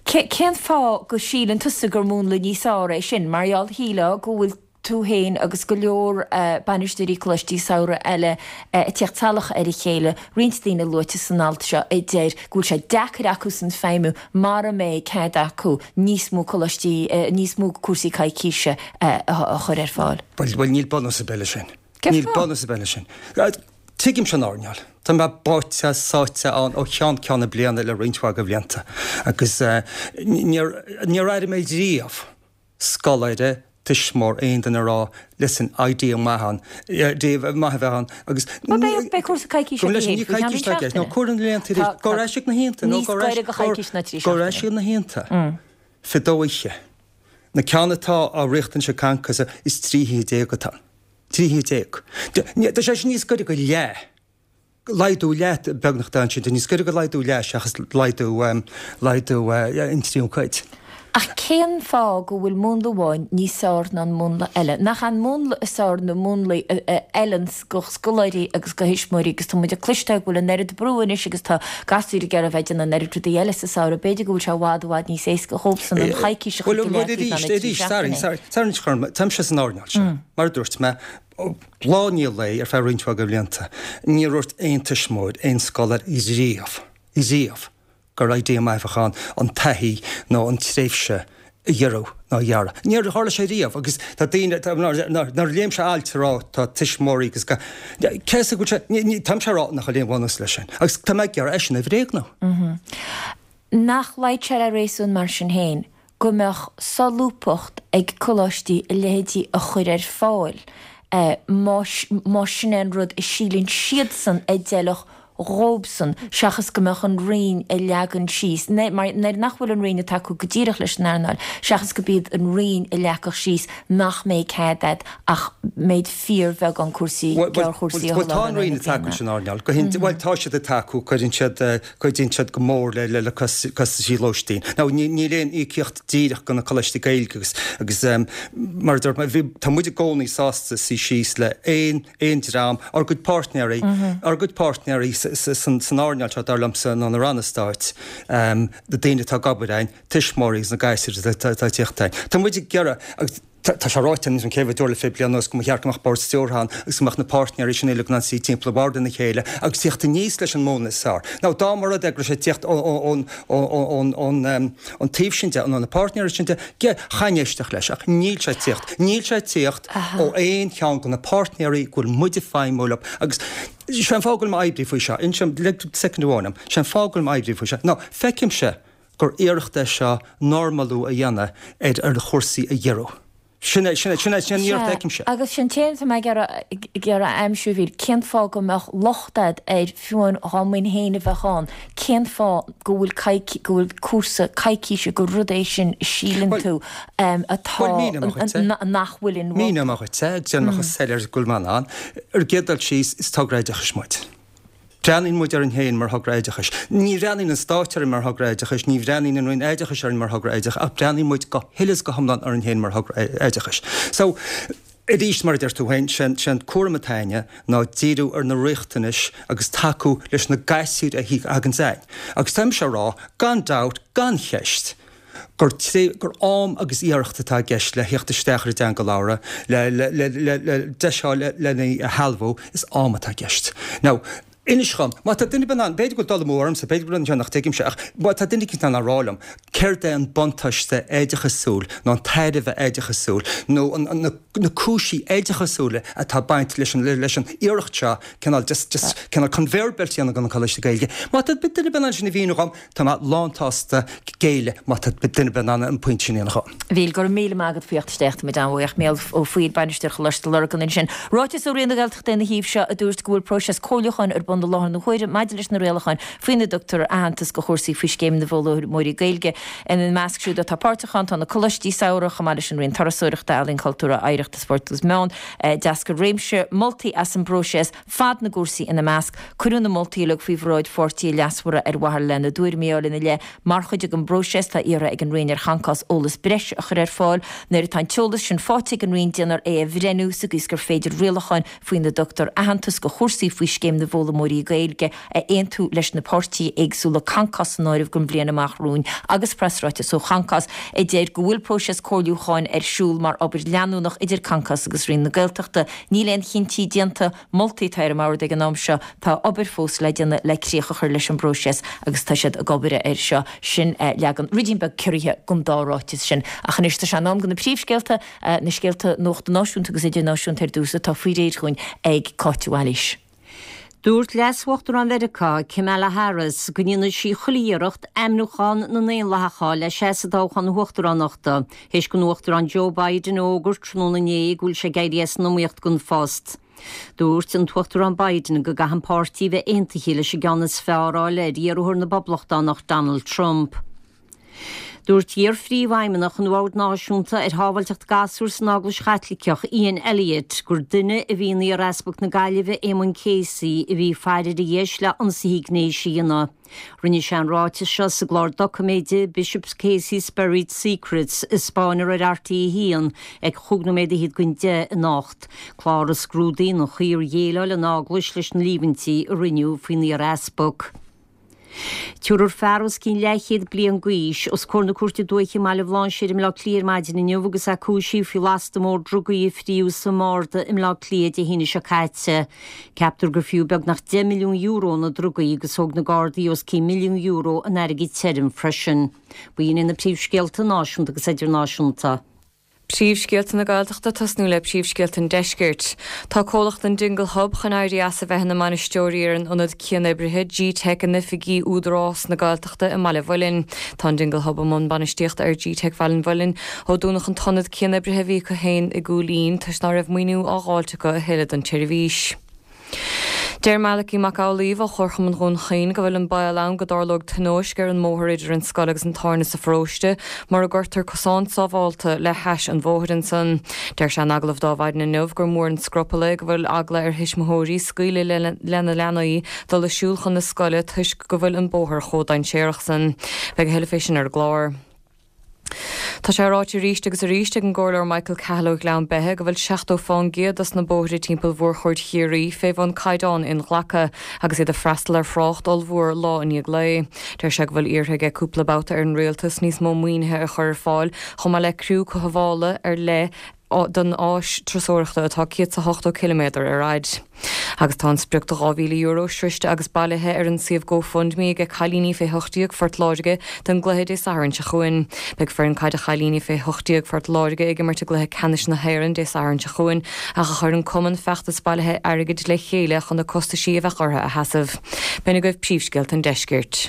Cén fáth go síleann tusa gur múnla níos fearr é sin? Mar gheall, shílfeá go bhfuil tú féin agus go leor bainisteoirí coláistí samhraidh eile ag tíocht salach ar a chéile, roinnt daoine luaite san alt seo a deir go bhfuil sé deacair acusan feidhmiú mara mbeidh cead acu níos mó coláistí, níos mó cúrsaí coicíse a chur ar fáil. Bhuel, bhuel, níl bunús ar bith leis sin. Cén Níl fáth? bunús ar bith leis sin. Tuigimse an earnáil. Tá mé báite, sáite ann ó cheann ceann na bliana le roinnt mhaith de bhlianta agus níor, níor airigh mé riamh scoláire, tuismitheoir, aon duine a rá, listen, idea maith ann, idea maith a bheith ann agus Bhuel, beidh, beidh cúrsa coicíse Go acu leis, féin ní faoi cheann coicís atá i gceist, nó seachtaine. cuir na laethanta arís, Tá, go tá ar ais ag na hoícheanta, nó níos go ar ais, gaire do choicís ná trí go ar ais seachtaine. ag na hoícheanta. Fiche dó oíche. Na ceann atá á riachtanais ag Concos is trí hoíche déag atá ann. Trí hoíche déag. Tá sé sin níos gaire go leath. Laghdú leath beagnach atá ansin. Tá níos gaire go laghdú leath seachas laghdú, laghdú an tríú cuid. Ach cén fáth go bhfuil múnla amháin níos fearr ná an múnla eile? Nach an múnla is fearr na múnlaí a fheileanns go scoláirí agus go thuismitheoirí agus tá muid ag cloisteáil go bhfuil an oiread brú anois agus tá gasúir ag iarraidh a bheith ag déanamh an oiread rudaí eile sa samhradh, b'fhéidir go bhfuil sé i bhfad i bhfad níos éasca dhóibhsan an choicís a chur Bhuel, go bhuel, leataobh arís, ná na trí arís, sorry, seachtainí. sorry, sorry, anois, Chorm, táimse san earnáil seo, mar a dúirt mé, lá i ndiaidh lae ar feadh roinnt mhaith de bhlianta, níor dhúirt aon tuismitheoir, aon scoláire riamh, riamh, gur idea maith a bheadh ann an taithí nó an tréimhse a ghiorrú nó a ghearradh. Níor tharla sé riamh agus tá daoine, nuair a léimse ailt ag rá tá tuismitheoirí agus ga, cé is go bhfuil sé, ní, táimse ag rá nach bhfuil aon bhunús leis sin agus tá mé ag iarraidh é sin a bhréagnú. Nach luíonn sé le réasún mar sin féin go mbeadh solúbthacht ag coláistí a leithéidí a chur ar fáil más sin é an rud a síleann siadsan a d'fheilfeadh dhóibhsan seachas go mbeadh an Roinn ag leagan síos, mar nuair nach bhfuil an Roinn ag tacú go díreach leis an earnáil, seachas go b'iad an Roinn a leagfadh síos nach mbeidh cead agat ach méid fíorbheagán cúrsaí, gearrchúrsaí a sholáthar Bhuel, tá an Roinn ag tacú leis an earnáil, go hin, bhuel, tá siad ag tacú, cuireann siad, cuidíonn siad go mór le, le, le costaisí lóistín. Now, ní, níl aon íocaíocht díreach go na coláistí Gaeilge agus, agus mar a dúirt mé, bhí, tá muid i gcónaí sásta suí síos le aon, aon dream, ár gcuid páirtnéirí, ár gcuid páirtnéirí san earnáil seo, dar liomsa, ná na ranna stáit, na daoine atá ag obair ann, tuismitheoirí agus na gasúir atá ag tíocht ann. Tá muid ag iarraidh, agus tá sé ráite anois an chéad uair le fiche bliain anuas go mba cheart go mbeadh bord stiúrtha ann agus go mbeadh na páirtnéirí sin uilig in ann suí timpeall an bhoird lena chéile agus tíocht aníos leis an múnla is fearr. Now, dá mba rud é go raibh sé ag tíocht ón taobh sin de, ó na páirtnéirí sin de, chaithfinn éisteacht leis, ach níl sé ag tíocht. Níl sé ag tíocht ó aon cheann de na páirtnéirí go bhfuil muid ag feidhmiú leo agus sé an fáth go bhfuil mé ag oibriú faoi seo, inseoidh, lig soicind amháin dom, sé an fáth go bhfuil mé ag oibriú faoi seo, ná feicimse gur iarracht é seo normalú a dhéanamh ar ar chúrsaí a ghiorrú. Sin é, sin é, sin é, sin an iarracht a fheicimse. Agus sin téama atá mé ag iarraidh, ag iarraidh a aimsiú, a Mhíl, cén fáth go mbeadh locht a'd air fiú amháin dhá mbeinn féin a bheadh ann, cén fáth go bhfuil coic, go bhfuil cúrsa coicíse, gur rud é sin a síleann tú atá, Bhuel, míneoidh mé dhuit é. nach bhfuil in. Míneoidh mé dhuit é, déanfaidh mé chomh soiléir is go bhfuil mé in ann. Ar an gcéad dul síos, is togra oideachais muid. Breathnaíonn muid orainn féin mar thogra oideachais. Ní bhreathnaíonn an Stát orainn mar thogra oideachais, ní bhreathnaíonn an Roinn Oideachais orainn mar thogra oideachais, ach breathnaíonn muid go huile is go hiomlán orainn féin mar thogra oideachais. So, arís, mar a deir tú féin, sé an cúram atá againne ná díriú ar na riachtanais agus tacú leis na gasúir a thagann chugainn. Agus tá mise á rá, gan dabht, gan cheist, gur tré, gur am agus iarracht atá i gceist le theacht isteach ar an dteanga labhartha, le, le, le, le, le deis a fháil le, lena shealbhú, is am atá i gceist. Now, inis dhom, má tá duine ar bith in ann, b'fhéidir go bhfuil dul amú ormsa, b'fhéidir go bhfuil rud ansin nach dtuigimse, ach má tá duine eicínt in ann a rá liom céard é an buntáiste oideachasúil nó an tairbhe oideachasúil nó an, an, na, na cúinsí oideachasúla atá ag baint leis an, leis an iarracht seo, cineál just, just cineál conveyor belt a dhéanamh de na coláistí Gaeilge. Má tá duine ar bith in ann sin a mhíniú dhom, tá mé lánsásta géilleadh má tá duine ar bith in ann an pointe sin a dhéanamh dhom. Mhíl, go raibh míle maith agat faoi theacht isteach, tá muid an-bhuíoch. Mícheál Ó Foighil, Bainisteoir Choláiste Lurgan ansin. Ráiteas ó Roinn na Gaeltachta ina thaobh seo a dúirt go bhfuil próiseas comhairliúcháin ar bun i láthair na huaire maidir leis na rialacháin faoina dtugtar aitheantas do chúrsaí faoi Scéim na bhFoghlaimeoirí Gaeilge. Ina measc siúd atá páirteach ann tá na Coláistí Samhraidh chomh maith leis an Roinn Turasóireachta, Ealaíon, Cultúrtha, Oidhreachta, Spóirt agus Meán. D'eascair réimse moltaí as an bpróiseas, fad na gcúrsaí ina measc. Cuireadh na moltaí uilig faoi bhráid pháirtithe leasmhara ar mhaithe lena dtuairimí a fháil ina leith. Mar chuid den bpróiseas, tá iarrtha ag an Roinn ar Chancás eolas breise a chur ar fáil. Nuair atá an t-eolas sin faighte ag an Roinn, déanfar é a bhreithniú sa gcaoi is gur féidir rialacháin faoina dtugtar aitheantas do chúrsaí faoi Scéim na bhFoghlaimeoirí Gaeilge a aontú leis na páirtithe éagsúla, Concos san áireamh, don bhliain amach romhainn agus preasráiteas ó Choncás a deir go bhfuil próiseas comhairliúcháin ar siúl mar obair leanúnach idir Concos agus Roinn na Gaeltachta. Níl aon chinntí déanta, moltaí atá ar an mbord ag an am seo. Tá obair fós le déanamh le críoch a chur leis an bpróiseas agus tá siad ag obair air seo. Sin leagan ruidín beag ciorraithe den dá ráiteas sin. Ach anois tá sé in am do na príomhscéalta, na scéalta nuachta náisiúnta agus idirnáisiúnta ar dtús atá faoi réir dhúinn ag Cáit Mhaoilís. Dúirt Leas-Uachtarán Mheiriceá, Kamala Harris, go ndéanfaidh sí chuile iarracht ainmniúchán na nDaonlathach a fháil le seasamh i dtoghchán na huachtaránachta, théis don Uachtarán Joe Biden a fhógairt tráthnóna inné go bhfuil sé ag éirí as an iomaíocht don phost. Dúirt an tUachtarán Biden go gcaithfidh an páirtí a bheith aontaithe leis an gceann is fearr a fháil ar iarrthóir na bPoblachtánach Donald Trump. Dúirt iar-phríomhfheidhmeannach an Bhoird Náisiúnta ar Shábháilteacht Gasúr san Eaglais Chaitliceach, Ian Elliott, gur duine a bhí in iar-Easpag na Gaillimhe, Éamonn Casey, a bhí ag faire ar a dheis le ionsaithe gnéis a dhéanamh. Rinne sé an ráiteas seo sa gclár doiciméide Bishop Casey's Buried Secrets a spáineadh ar R T a haon ag chúig nóiméad fhichead don deich anocht, clár a scrúdaíonn an chaoi ar dhéileáil an Eaglais leis na líomhaintí a rinneadh faoin iar-easpag. Tabharfar fear os cionn leathchéad bliain d'aois os comhair na Cúirte Dúiche i mBaile Bhlainséir i mBleá Cliath ar maidin inniu agus é cúisithe faoi lasta mór drugaí a fríodh sa mbarda i mBleá Cliath Dé hAoine seo caite. Ceaptar gur fiú beagnach deich milliún euro na drugaí agus thóg na Gardaí os cionn milliún euro in airgead tirim freisin. B'in iad na príomhscéalta náisiúnta agus idirnáisiúnta. Príomhscéalta na Gaeltachta tosnú le príomhscéalta an Deiscirt. Tá comhlacht an Dingle Hub chun éirí as a bheith ina mbainisteoirí ar an ionad cianoibrithe G-Teic in oifigí Údarás na Gaeltachta i mBaile Mhuilinn. Tá an Dingle Hub i mbun bainistíochta ar G-Teic Bhaile an Mhuilinn ó dúnadh an t-ionad cianoibrithe a bhí acu féin i gCúil Aodha toisc ná raibh maoiniú á dháilt acu a thuilleadh don tseirbhís. Deir Malachy Mac Amhlaoibh ó Chomharchumann Dhún Chaoin go bhfuil an baol ann go dtarlóidh tionóisc ar an mbóthar idir an scoil agus an tábhairne sa pharóiste mura gcuirtear cosán sábhálta le hais an bhóthair ansan. Deir sé in agallamh d'Adhmhaidin inniu gur mór an scrupall é go bhfuil eagla ar thuismitheoirí scaoileadh lena leanaí dul ag siúl chun na scoile toisc go bhfuil an bóthar chomh dainséarach san. Beidh a thuilleadh fé sin ar an gclár. Tá sé ráite arís agus arís ag an gComhairleoir Michael Cahill ó Ghleann Beithe go bhfuil seachtó fán gcéad dos na bóithre timpeall mhórchuaird Chiarraí fé bhun caighdeán inghlactha agus iad ag freastal ar thrácht ollmhór lá i ndiaidh lae. Deir sé go bhfuil iarrtha aige cúpla babhta ar an Rialtas níos mó maoinithe a chur ar fáil chomh maith le criú cothabhála ar leith don áis turasóireachta atá céad 's a hochtó ciliméadar ar fhaid. Agus tá an sprioc de dhá mhíle euro sroiste agus bailithe ar an suíomh GoFundMe ag cailíní fé hocht déag Phort Láirge don gcluiche Dé Sathairn seo chugainn. Beidh foireann caide chailíní fé hocht déag Phort Láirge ag imirt i gcluiche ceannais na hÉireann Dé Sathairn seo chugainn ach chuir an cumann feachtas bailithe airgid le chéile chun na costaisí a bheadh orthu a sheasamh. B'in agaibh príomhscéalta an deiscirt.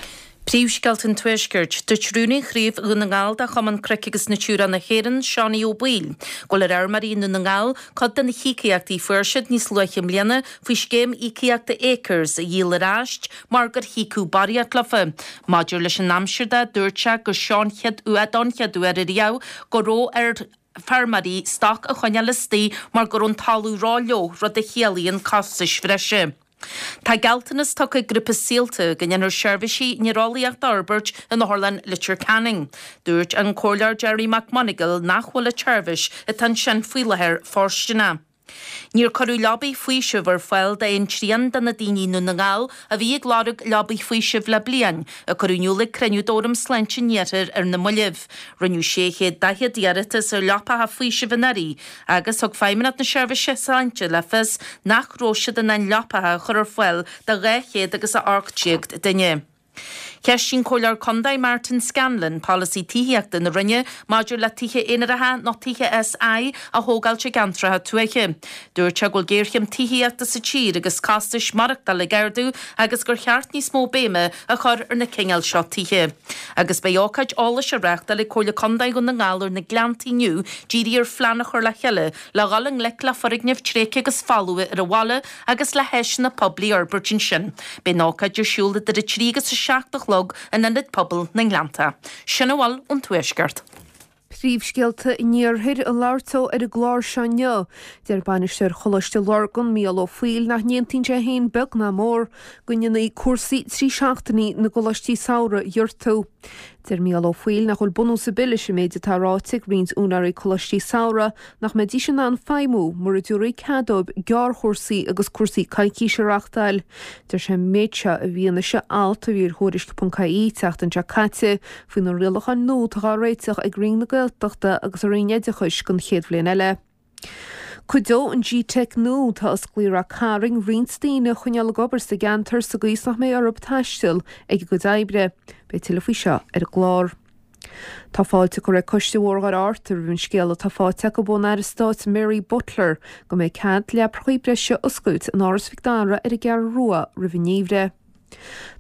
Príomhscéalta an Tuaiscirt, Dúirt Rúnaí Chraobh Dhún na nGall de Chumann Cnoic agus Natura na hÉireann, Seánie Ó Baoill, go bhfuil ar fheirmeoirí i nDún na nGall cuid de na híocaíochtaí a fuair siad níos luaithe i mbliana faoi scéim íocaíochta Acres a dhíol ar ais mar gur híocadh barraíocht leofa. Maidir leis an aimsir de, dúirt sé gur seo an chéad uair don chéad uair ariamh go raibh ar feirmeoirí stoc a choinneáil istigh mar go raibh an talamh ró-fhliuch, rud a chiallaíonn costais bhreise. Tá gealltanas tugtha ag grúpa Saolta go ndéanfar seirbhísí néareolaíochta a fhorbairt in Otharlann Leitir Ceanainn. Dúirt an Comhairleoir Gerry McMonagall nach bhfuil an tseirbhís atá ansin faoi láthair fóirsteanach. Níor cuireadh leabaí faoisimh ar fáil d'aon trian de na daoine i nDún na nGall a bhí ag lorg leabaí faoisimh le bliain, a cuireadh in iúl ag cruinniú d'Fhóram Sláinte an Iarthair ar na mallaibh. Rinneadh sé chéad daichead iarratas ar leapacha faoisimh anuraidh agus thug Feidhmeannacht na Seirbhíse Sláinte le fios nach raibh siad in ann leapacha a chur ar fáil do dhá chéad agus a ocht déag duine. Cheistigh an Comhairleoir Contae Martin Scanlon polasaí tithíochta na Roinne maidir le tithe aonaracha nó tithe SI a thógáilt i gceantracha tuaithe. Dúirt sé go bhfuil géarchéim tithíochta sa tír agus costais maireachtála ag ardú agus gur cheart níos mó béime a chur ar na cineáil seo tithe. Agus beidh ócáid eolais á reáchtáil ag Comhairle Contae Dhún na nGall ar na Gleannta inniu dírithe ar phlean a chur le chéile le dhul i ngleic le foirgnimh tréigthe agus folmha ar an bhaile agus le háiseanna poiblí a fhorbairt ansin. Beidh an ócáid ar siúl idir a trí agus a seacht a chlog in Ionad Pobail na nGleannta. Sin a bhfuil ón Tuaisceart. Príomhscéalta an Iarthair ag labhairt dó ar an gclár seo inniu. Deir bainisteoir Choláiste Lurgan, Mícheál Ó Foighil, nach n-aontaíonn sé féin beag ná mór go ndéanfaí cúrsaí trí seachtainí na gcoláistí samhraidh a ghiortú. Deir Mícheál Ó Foighil nach bhfuil bunús ar bith leis an méid atá ráite ag roinnt úinéirí coláistí samhraidh nach mbeidís in ann feidhmiú mura dtabharfaí cead dóibh gearrchúrsaí agus cúrsaí coicíse a reáchtáil. Deir sé an méid seo i bhfianaise alt a bhí ar Thuairisc ponc ie tseachtain seo caite faoi na rialacháin nua atá á réiteach ag Roinn na Gaeltachta agus an Roinn Oideachais don chéad bhliain eile. Cuideoidh an G-Teic nua atá osclaithe i Ráth Cairn roinnt daoine a choinneáil ag obair sa gceantar sa gcaoi is nach mbeidh orthu taisteal ag a gcuid oibre. Beidh tuilleadh faoi seo ar an gclár. Tá fáilte curtha ag Coiste Bhóthar Dhoire Fhatharta roimh an scéala atá faighte acu ón Aire Stáit Mary Butler go mbeidh cead leaprachaí breise a oscailt in Áras Mhic Dara ar an gCeathrú Rua roimh an ngeimhreadh.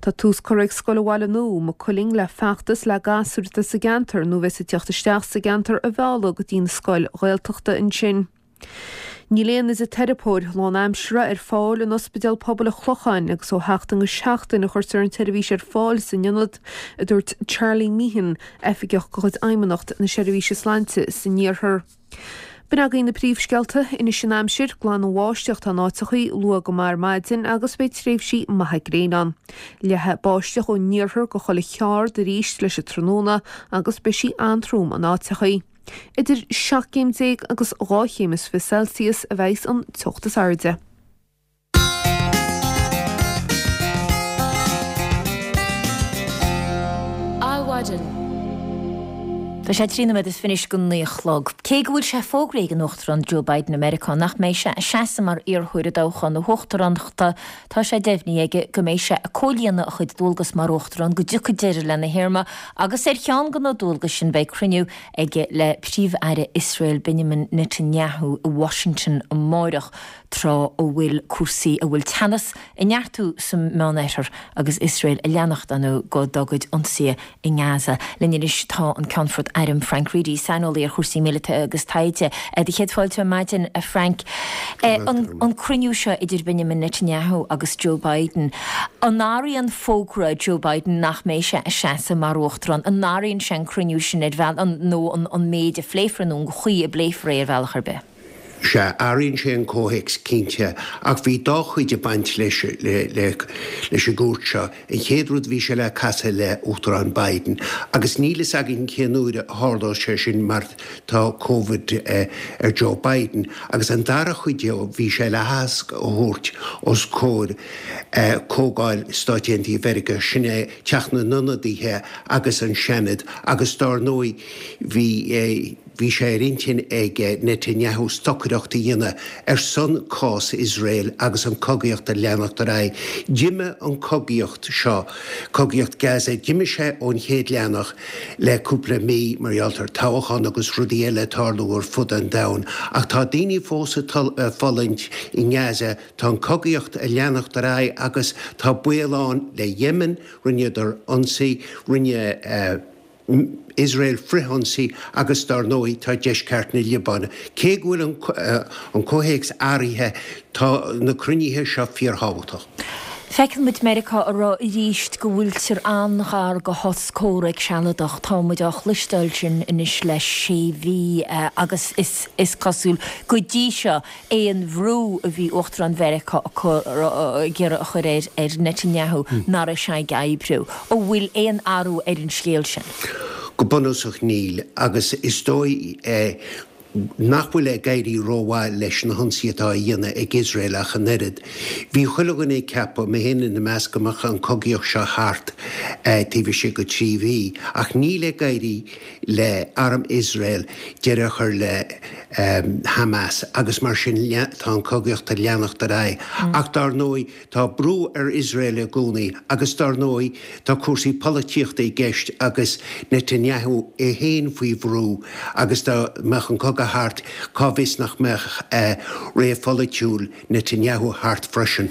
Tá tús curtha ag Scoil an Bhaile Nua, Maigh Cuilinn le feachtas le gasúir atá sa gceantar nó a bheas ag teacht isteach sa gceantar a mhealladh go dtí an scoil Ghaeltachta ansin. Níl aon fhisiteiripeoir lánaimseartha ar fáil in Ospidéal Pobail an Chlocháin agus ó sheachtain go seachtain a chuirtear an tseirbhís ar fáil san ionad, a dúirt Charlie Meehan, oifigeach de chuid Fheidhmeannacht na Seirbhíse Sláinte san Iarthar. B'in agaibh na príomhscéalta, anois an aimsir, glanbháisteach atá in áiteachaí, luath go maith ar maidin agus beidh tréimhsí maithe gréine ann. Leathfaidh báisteach ón iarthar go chuile cheard arís leis an tráthnóna agus beidh sí an-trom in áiteachaí. Idir seacht gcéim déag agus dhá chéim is fiche Celsius a bheidhs an teocht is airde. Adhmhaidin. Tá sé trí nóiméad is fiche anois go naoi a chlog. Cé go bhfuil sé fógraithe ag an Uachtarán Joe Biden i Meiriceá nach mbeidh sé ag seasamh mar iarrthóir i dtoghchán na huachtaránachta, tá sé deimhnithe aige go mbeidh sé ag comhlíonadh a chuid dualgas mar Uachtarán go dtiocfaidh deireadh lena théarma agus ar cheann de na dualgais sin beidh cruinniú aige le Príomh-Aire Iosrael Benjamin Netanyahu i Washington amáireach tráth a bhfuil cúrsaí a bhfuil teannas ag neartú sa Meánoirthear agus Iosrael ag leanacht ar ndóigh dá gcuid ionsaithe i nGaza. Linn anois tá an Ceannfort Airm Frank Reidy, saineolaí ar chúrsaí míleata agus taighde. Do chéad fáilte ar maidin, a Frank. An cruinniú seo idir Benjamin Netanyahu agus Joe Biden, an athraíonn fógra Joe Biden nach mbeidh sé ag seasamh mar uachtarán, an athraíonn sé an cruinniú sin ar bhealach nó an méid a phléifear nó an chaoi a bpléifear é ar bhealach ar bith? Sea, athraíonn sé an comhthéacs cinnte, ach bhí dá chuid ag baint leis leis an gcuairt seo. An chéad rud, bhí sé le casadh le Uachtarán Biden, agus níl fhios againn cén uair a tharlóidh sé sin mar tá Covid ar Joe Biden. Agus an dara chuid de, bhí sé le haitheasc a thabhairt os comhair Comhdháil Stáit Aontaithe Mheiriceá, sin é Teach na nIonadaithe agus an Seanad, agus dár ndóigh bhí. Bhí sé ar intinn ag Netanyahu stocaireacht a dhéanamh ar son cás Iosrael agus an cogaíocht a leanacht ar aghaidh. D'imigh an cogaíocht seo, cogaíocht Gaza, d'imigh sé ón chéad leathanach le cúpla mí mar gheall ar toghchán agus rudaí eile ag tarlú ar fud an domhain. Ach tá daoine fós ag fulaingt i nGaza, tá an cogaíocht ag leanacht ar aghaidh agus tá baol ann le Yemen, rinneadar ionsaí, rinne Iosrael frithionsaí agus dar ndóigh tá deisceart na Liobáine. Cé go bhfuil an comhthéacs athraithe, tá na cruinnithe seo fíorthábhachtach. Feiceann muid Meiriceá ag rá arís go bhfuiltear an-ghar do shos comhraic sealadach. Tá muid á chloisteáil sin anois le sé mhí agus is cosúil go dtí seo aon bhrú a bhí Uachtarán Mheiriceá ag iarraidh a chur ar Netanyahu nach raibh sé ag oibriú. An bhfuil aon athrú ar an scéal sin? Go bunúsach níl agus is dóigh nach bhfuil ag éirí rómhaith leis na hionsaithe atá á dhéanamh ag Iosrael ach an oiread. Bhí chuile dhuine ag ceapadh, mé féin ina measc, go mbeadh an cogaíocht seo thart taobh istigh de trí mhí, ach níl ag éirí le arm Iosrael deireadh a chur le Hamas agus mar sin tá an cogaíocht ag leanacht ar aghaidh. Ach dar ndóigh tá brú ar Iosrael i gcónaí agus dar ndóigh tá cúrsaí polaitíochta i gceist agus Netanyahu é féin faoi bhrú agus dá mbeadh an cogadh thart cá bhfios nach mbeadh ré pholaitiúil Netanyahu thart freisin.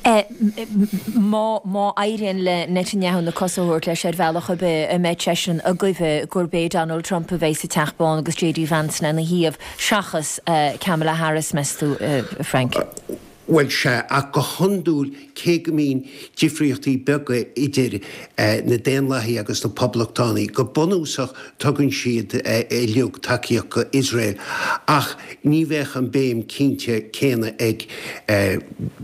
Má má éiríonn le Netanyahu na cosa a thabhairt leis ar bhealach ar bith, an mbeidh seisean ag goimh gurb é Donald Trump a bheidh sa Teach Bán agus JD Vance lena thaobh seachas Kamala Harris, meas tú, Frank? Bhuel, sea, ach go hiondúil, cé go mbíonn difríochtaí beaga idir na Daonlathaigh agus na Poblachtánaigh, go bunúsach tugann siad uilig tacaíocht go Iosrael. Ach ní bheadh an béim cinnte céanna ag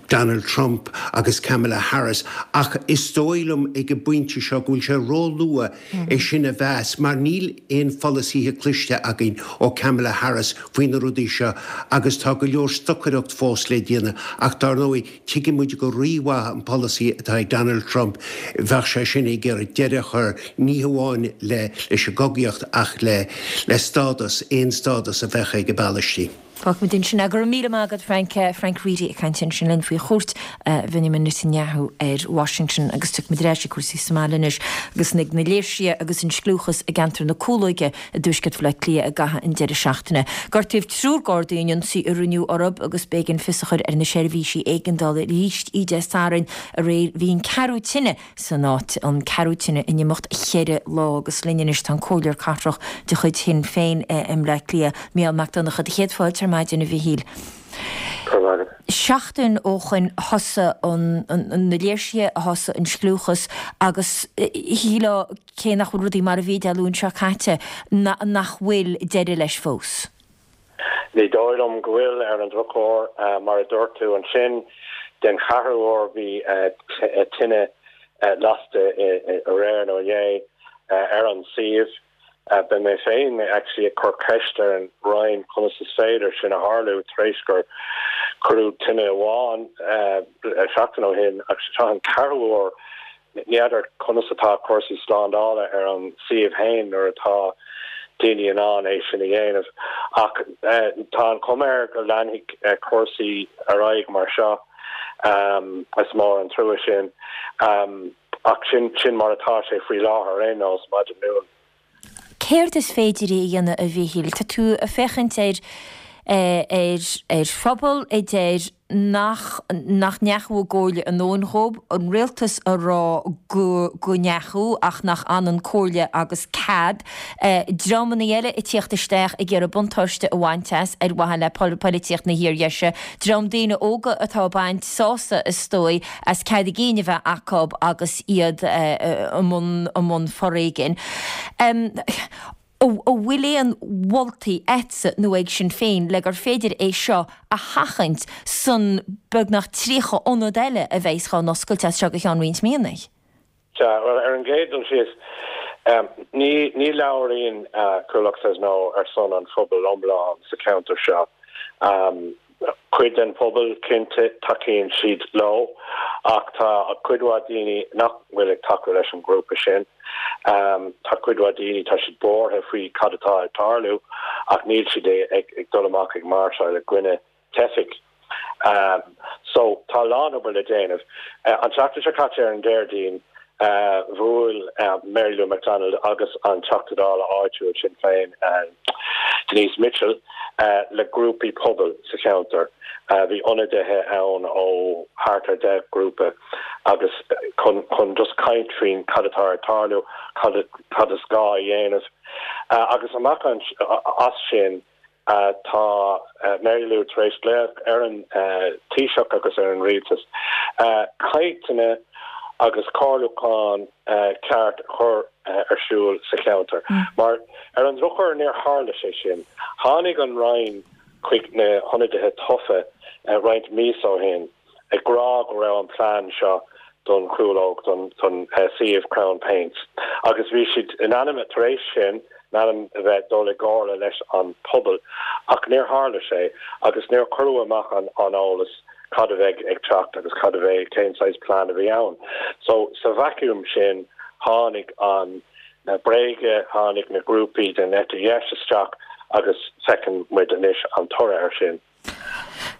Donald Trump agus Kamala Harris. Ach is dóigh liom ag an bpointe seo go bhfuil sé ró-luath é sin a mheas mar níl aon pholasaithe cloiste againn ó Kamala Harris faoi na rudaí seo agus tá go leor stocaireacht fós le déanamh ach dar ndóigh tuigeann muid go rímhaith an polasaí atá ag Donald Trump, bheadh sé sin ag iarraidh deireadh a chur ní hamháin le leis an gcogaíocht ach le le stádas, aon stádas a bheadh ag an bPalaistín. Fágfaimid ansin é. Go raibh míle maith agat Frank. Frank Reidy ag caint ansin linn faoi chuairt Bhenjamin Netanyahu ar Washington agus tiocfaimid ar ais ag cúrsaí sa mbaile anois agus ag na léirsithe agus an scliúchas i gceantar na Cúlóige i dtuaisceart Bhaile Átha Cliath i gcaitheamh an deireadh seachtaine. Gortaíodh triúr Gardaí in ionsaí a rinneadh orthu agus b'éigean fios a chur ar na seirbhísí éigeandála arís Dé Sathairn aréir. Bhí an ceathrú tine san áit, an ceathrú tine in imeacht cheithre lá agus linn anois tá an Comhairleoir Cathrach de chuid Shinn Féin i mBleá Cliath, Mícheál Mac Donncha. Céad fáilte ar maidin, a Mhichíl. Seachtain ó shoin thosaigh na léirsithe, thosaigh an scliúchas agus shílfeá, cé nach bhfuil rudaí mar a bhí Dé Luain seo caite, nach bhfuil deireadh leis fós. Ní dóigh liom go bhfuil, ar an drochuair. Mar a dúirt tú ansin, den cheathrú huair bhí tine lasta aréir nó inné ar an suíomh. Beidh mé féin actually ag cur ceist ar an Roinn conas is féidir sin a tharlú tar éis gur cuireadh tine amháin seachtain ó shin ach seo an ceathrú huair. Ní fheadar conas atá cúrsaí slándála ar an suíomh féin nuair atá daoine in ann é sin a dhéanamh. Ach tá an chuma air go leanfaidh cúrsaí ar aghaidh mar seo. Is mór an trua sin. Ach sin sin mar atá sé faoi láthair ar aon nós, maidin Luain. Céard is féidir a dhéanamh, a Mhichíl? Tá tú ag féachaint ar ar ar phobal a deir nach nach ndeachaigh a gcomhairle a ndóthain dhóibh, an rialtas a rá go go ndeachaigh ach nach ionann comhairle agus cead, dreamanna eile ag tíocht isteach ag iarraidh buntáiste a bhaint as ar mhaithe le polaitíocht na hfíordheise, dream daoine óga atá ag baint sásamh is dóigh as cead a gcinn a bheith acu agus iad i mbun i mbun foréigin. An bhfuil aon mholtaí agatsa nó ag Sinn Féin le gur féidir é seo a sheachaint san beagnach tríocha ionad eile a bheas dhá n-oscailt as seo go ceann roinnt míonna? Sea, bhuel, ar an gcéad dul síos, ní ní labhraíonn Coolock Says No ar son an phobail iomlán sa cheantar seo. Cuid den phobal, cinnte, tacaíonn siad leo, ach tá cuid mhaith daoine nach bhfuil ag tacú leis an ngrúpa sin. Tá cuid mhaith daoine, tá siad buartha faoi cad atá ag tarlú ach níl siad ag dul amach ag máirseáil i gcoinne teifigh. So, tá a lán obair le déanamh. An tseachtain seo caite ar an Déardaoin, bhuail Mary Lou McDonald agus an Teachta Dála áitiúil Sinn Féin, Denise Mitchell, le grúpaí pobail sa cheantar. Bhí ionadaithe ann ó thart ar deich grúpa agus chun chun just caint faoin cad atá ag tarlú, cad cad is gá a dhéanamh. Agus amach as sin, Tá Mary Lou tar éis glaoch ar an Taoiseach agus ar an Rialtas cainteanna agus comhairliúchán ceart a chur ar siúl sa cheantar. Mar ar an drochuair níor tharla sé sin. Tháinig an Roinn chuig na hionadaithe tofa roinnt míosa ó shin ag rá go raibh an plean seo don Chúlóg, don suíomh Crown Paints agus bhí siad in ainm, tar éis sin, in ainm a bheith dul i gcomhairle leis an pobal ach níor tharla sé agus níor cuireadh amach an eolas cad a bheidh ag teacht agus cad a bheidh, cén saghas plean a bhí ann. So sa vacuum sin tháinig an na bréaga, tháinig na grúpaí den eite dheis isteach agus feiceann muid anois an toradh air sin.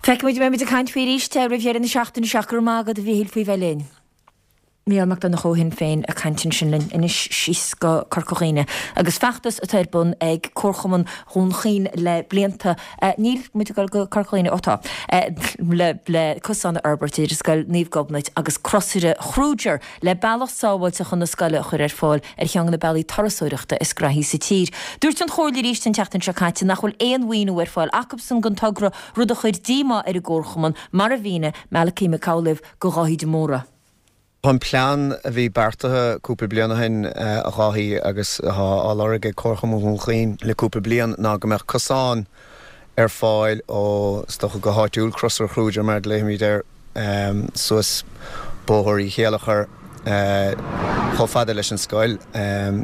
Feicfimid, beidh muid ag caint faoi arís roimh dheireadh na seachtaine seo. Go raibh maith agat a Mhíchíl faoi bheith linn. Mícheál Mac Donncha ó Shinn Féin ag caint ansin linn anois síos go Corca Dhuibhne agus feachtas atá ar bun ag Comharchumann Dhún Chaoin le blianta, níl muid ag dul go Corca Dhuibhne, ó tá, le le cosán a fhorbairt idir Scoil Naomh Gobnait agus Crosaire Kruger le bealach sábháilte chun na scoile a chur ar fáil ar cheann de na bealaí turasóireachta is graithí sa tír. Dúirt an Chomhairle arís an tseachtain seo caite nach bhfuil aon mhaoiniú ar fáil acubsan don togra, rud a chuir díomá ar an gComharchumann, mar a mhínigh Malachy Mac Amhlaoibh do Dháithí de Mórdha. An plean a bhí beartaithe cúpla bliain ó shin, a Dháithí, agus atá á lorg ag Comharchumann Dhún Chaoin le cúpla bliain ná go mbeadh cosán ar fáil ó, is dócha go háitiúil, Crosaire Kruger mar a ghlaofaimid air, suas Bóthar Uí Chéilleachair chomh fada leis an scoil.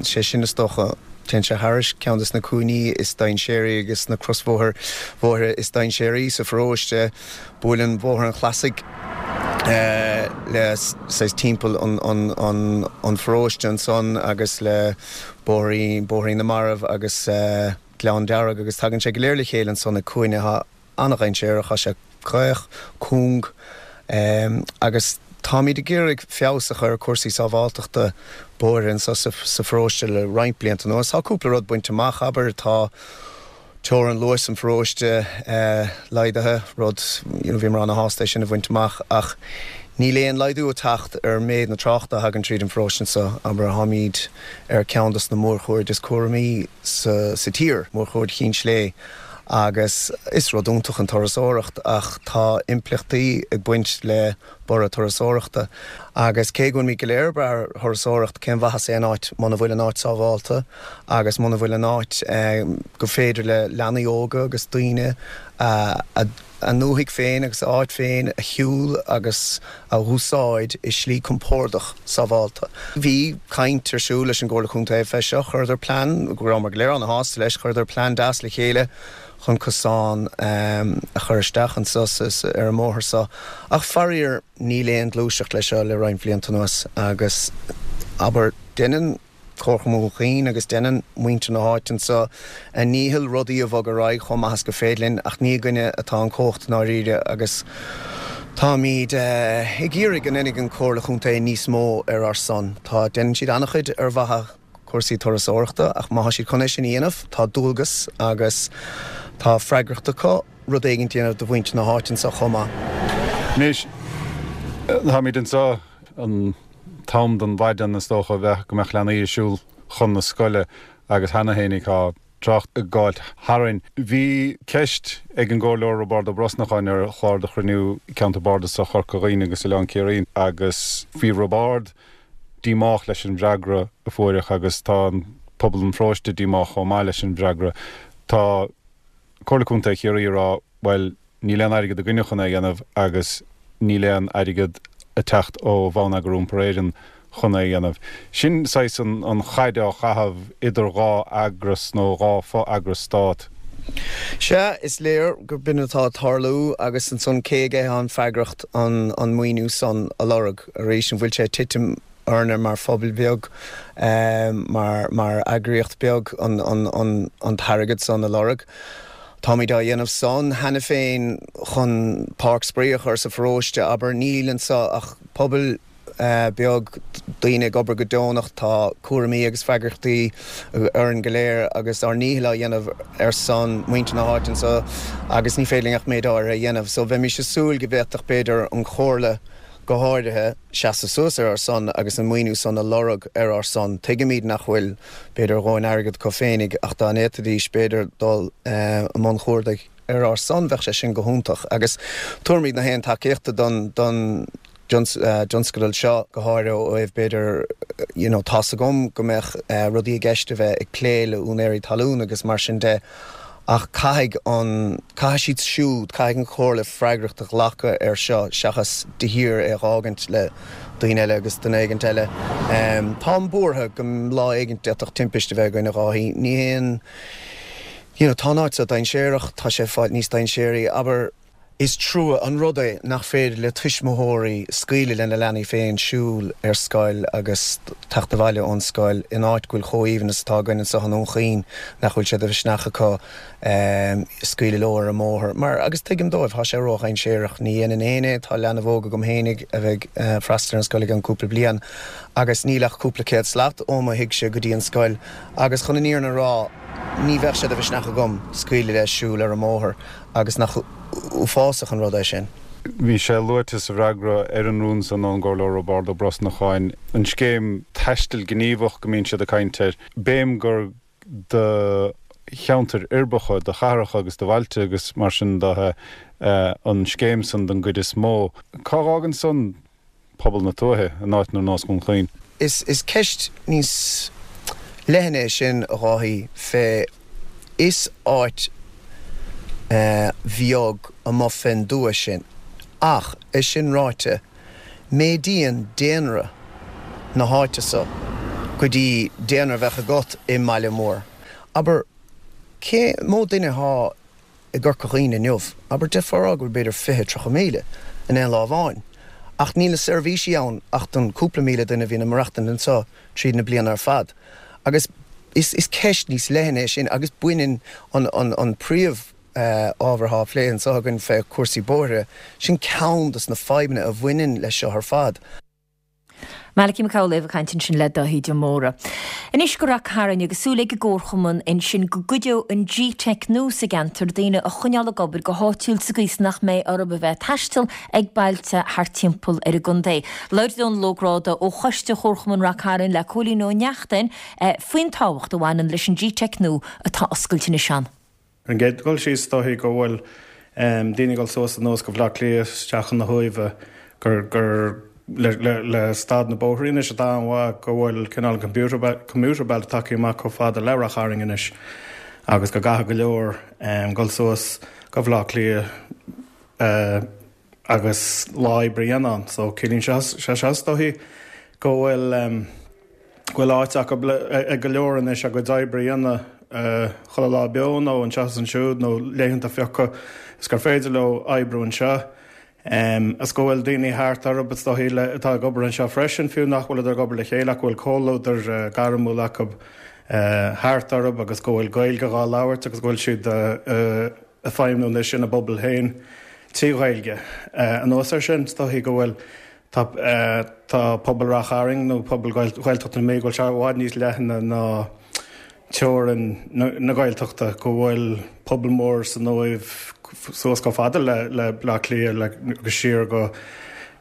Sé sin is dócha, téann sé thairis ceann de na cúinní is dainséaraí agus na crosbhóthair bhóithre is dainséaraí sa pharóiste. Buaileann Bóthar an Chlasaigh le saghas timpeall an pharóiste ansan agus le Bóithrín Bóithrín na Marbh agus Gleann Dearg agus tagann sé go léir le chéile ansan ag cúinne atá an-dhainséarach, tá sé caoch, cúng agus táimid ag iarraidh feabhas a chur ar chúrsaí sábháilteachta bóithre anso sa pharóiste le roinnt blianta anuas. Tá cúpla rud bainte amach, abair, tá teorainn luais an pharóiste laghdaithe, rud, you know, bhíomar ana-shásta é sin a bhaint amach ach níl aon laghdú ag teacht ar méid na tráchta a thagann tríd an pharóiste anso, abair, táimid ar ceann dos na mórchuaird is cúramaí sa sa tír, mórchuaird Chinn Slé agus is rud iontach an turasóireacht ach tá impleachtaí ag baint le borradh turasóireachta. Agus cé go bhfuilimid go léir ag brath ar thurasóireacht, cén mhaitheas aon áit muna bhfuil an áit sábhálta agus muna bhfuil an áit go féidir le leanaí óga agus daoine a ndúthaigh féin agus a áit féin a shiúl agus a úsáid i slí compordach sábhálta. Bhí caint ar siúl leis an gComhairle Contae fé seo, chuireadar plean, go rabhamar go léir ana-shásta leis, chuireadar plean deas le chéile chun cosán a chur isteach anso ar an mbóthar seo ach faraor níl aon ghluaiseacht leis seo le roinnt bhlianta anuas agus abair deineann Comharchumann Dhún Chaoin agus deineann muintir na háite anso a ndícheall rudaí a bhogadh ar aghaidh chomh maith is gur féidir linn ach ní againne atá an chumhacht i ndáiríre agus táimid ag iarraidh go ndéanfaidh an Chomhairle Chontae níos mó ar ár son. Tá, deineann siad an-chuid ar mhaithe cúrsaí turasóireachta ach má tá siad chun é sin a dhéanamh, tá dualgas agus tá freagracht acu rud éigin a dhéanamh do mhuintir na háite anseo chomh maith. Anois, táimid anseo an t-am den mhaidin is dócha a bheadh go mbeadh leanaí ag siúl chun na scoile agus cheana fhéinig tá trácht ag gabháilt tharainn. Bhí ceist ag an gComhairleoir Roibeárd Ó Brosnacháin ar chlár de chruinniú Ceantar Bardasach Chorca Dhuibhne agus Oileán Ciarraí agus bhí Roibeárd díomách leis an bhfreagra a fuaireadh agus tá pobal an pharóiste díomách chomh maith leis an bhfreagra. Tá Comhairle Contae Chiarraí ag rá, bhuel, níl aon airgead againne chun é a dhéanamh agus níl aon airgead ag teacht ó Bhonneagar Iompair Éireann chun é a dhéanamh. Sin saghas an chaid á chaitheamh idir dhá eagras nó dhá fho-eagras stát. Sea, is léir gur b'in atá ag tarlú agus ansan cé aige an freagracht an an maoiniú san a lorg arís an bhfuil sé ag titim orainne mar phobal beag, mar mar eagraíocht beag an an an an t-airgead san a lorg. Táimid á dhéanamh san cheana féin chun páirc spraoi a chur sa pharóiste, abair, níl anso ach pobal beag daoine ag obair go deonach, tá cúraimí agus freagrachtaí orainn go léir agus ár ndícheall á dhéanamh ar son muintir na háite anso agus ní féidir linn ach méid áirithe a dhéanamh. So bheimis ag súil go bhféadfadh b'fhéidir an Chomhairle go háirithe seasamh suas ar ár son agus an maoiniú san a lorg ar ár son. Tuigimid nach bhfuil b'fhéidir a dhóthain airgead acu féinig ach dá bhféadfaidís b'fhéidir dul i mbun chuardaigh ar ár son bheadh sé sin go hiontach agus tabharfaimid na haon tacaíochta don don dtionscadal seo, go háirithe ó thaobh b'fhéidir you know tá's agam go mbeadh rudaí i gceist a bheith ag plé le úinéirí talún agus mar sin de ach caithfidh an, caithfidh siad siúd, caithfidh an Chomhairle freagracht a ghlacadh air seo seachas de shíor é a dh'fhágaint le daoine eile agus duine éigint eile. Táim buartha go lá éigint d'fhéadfadh timpiste a bheith againn a Dháithí. Ní haon, you know tá an áit seo dainséarach, tá sé ag fáil níos dainséaraí, abair, Is trua an rud é nach féidir le tuismitheoirí scaoileadh lena leanaí féin siúl ar scoil agus teacht abhaile ón scoil in áit go bhfuil chomh haoibhinn is atá againn anseo i nDún Chaoin, nach bhfuil sé de mhisneach acu scaoileadh leo ar an mbóthar. Mar, agus tuigim dóibh, tá sé ródhainséarach. Ní dhéanfainn fhéin é, tá leanbh óg agam fhéinig a bheidh ag freastal ar an scoil i gceann cúpla bliain agus níl ach cúpla céad slat ó mo thighse go dtí an scoil agus chun an fhírinne a rá, ní bheadh sé de mhisneach agam scaoileadh leis siúl ar an mbóthar agus nach uafásach an rud é sin. Bhí sé luaite sa bhfreagra ar an rún san ón gComhairleoir Roibeárd Ó Brosnacháin, an scéim taistil gníomhach go mbíonn siad ag caint air, béim gur do cheantair uirbeacha, do chathracha agus do bhailte agus mar sin de an scéim san don gcuid is mó. Cá bhfágann san pobal na tuaithe in áiteanna ar nós Dhún Chaoin? Is ceist níos leithne é sin, a Dháithí, fé is áit bheag amuigh fén dtuath sinn. Ach, é sin ráite, méadaíonn daonra na háite so go dtí daonra a bheadh agat i mbaile mór. Abair, cé mó duine athá i gCorca Dhuibhne inniu, abair, d'fhéadfá a rá go bhfuil b'fhéidir fiche, tríocha míle in aon lá amháin. Ach níl na seirbhísí ann ach don cúpla míle duine a bhíonn ag maireachtaint anseo tríd na bliana ar fad. Agus is is ceist níos leithne é sin agus baineann an an an príomh ábhar atá á phlé anseo againn fé chúrsaí bóithre, sin ceann dos na fadhbanna a bhaineann leis seo ar fad. Malachy Mac Amhlaoibh ag caint ansin le Dáithí de Mórdha. Anois go Rath Cairn agus súil ag an gComharchumann ansin go gcuideoidh an G-Teic nua sa gceantar daoine a choinneáil ag obair go háitiúil sa gcaoi is nach mbeidh orthu a bheith ag taisteal ag bailte thart timpeall ar an gcontae. Labhair Dónal Ó Gráda ó Choiste Chomharchumann Rath Cairn le Cóilín Ó Neachtain faoin tábhacht a bhaineann leis an G-Teic nua atá oscailte anois ann. Ar an gcéad dul síos, is dóichí go bhfuil daoine ag dul suas anuas go Bhaile Átha Cliath isteach chun na hUaimhe gur gur le le le staid na bóithrí anois atá an-mhaith go bhfuil cineál commuter commuter belt tagtha amach chomh fada le Rath Chairn anois agus go gcaithfidh go leor dul suas go Bhaile Átha Cliath agus lá oibre a dhéanamh ann. So ciallaíonn sé seo is dóichí go bhfuil go bhfuil áit acu ag go leor anois a gcuid oibre a dhéanamh chuile lá beo nó anseo is ansiúd nó laethanta a phiocadh is gur féidir leo oibriú anseo. Is go bhfuil daoine thart orthu is dóichí atá ag obair anseo freisin, fiú nach bhfuileadar ag obair le chéile ach go bhfuil comhluadar gairmiúil acu thart orthu agus go bhfuil Gaeilge dhá labhairt agus go bhfuil siad ag feidhmiú anois ina bpobal féin trí Ghaeilge. Anuas air sin, is dóichí go bhfuil Tá tá pobal Rath Chairn nó pobal Ghaeltacht na Mí, go bhfuil sé i bhfad níos leithne ná teorainn na Gaeltachta, go bhfuil pobal mór san Uaimh suas chomh fada le le Bleá Cliath le agus siar go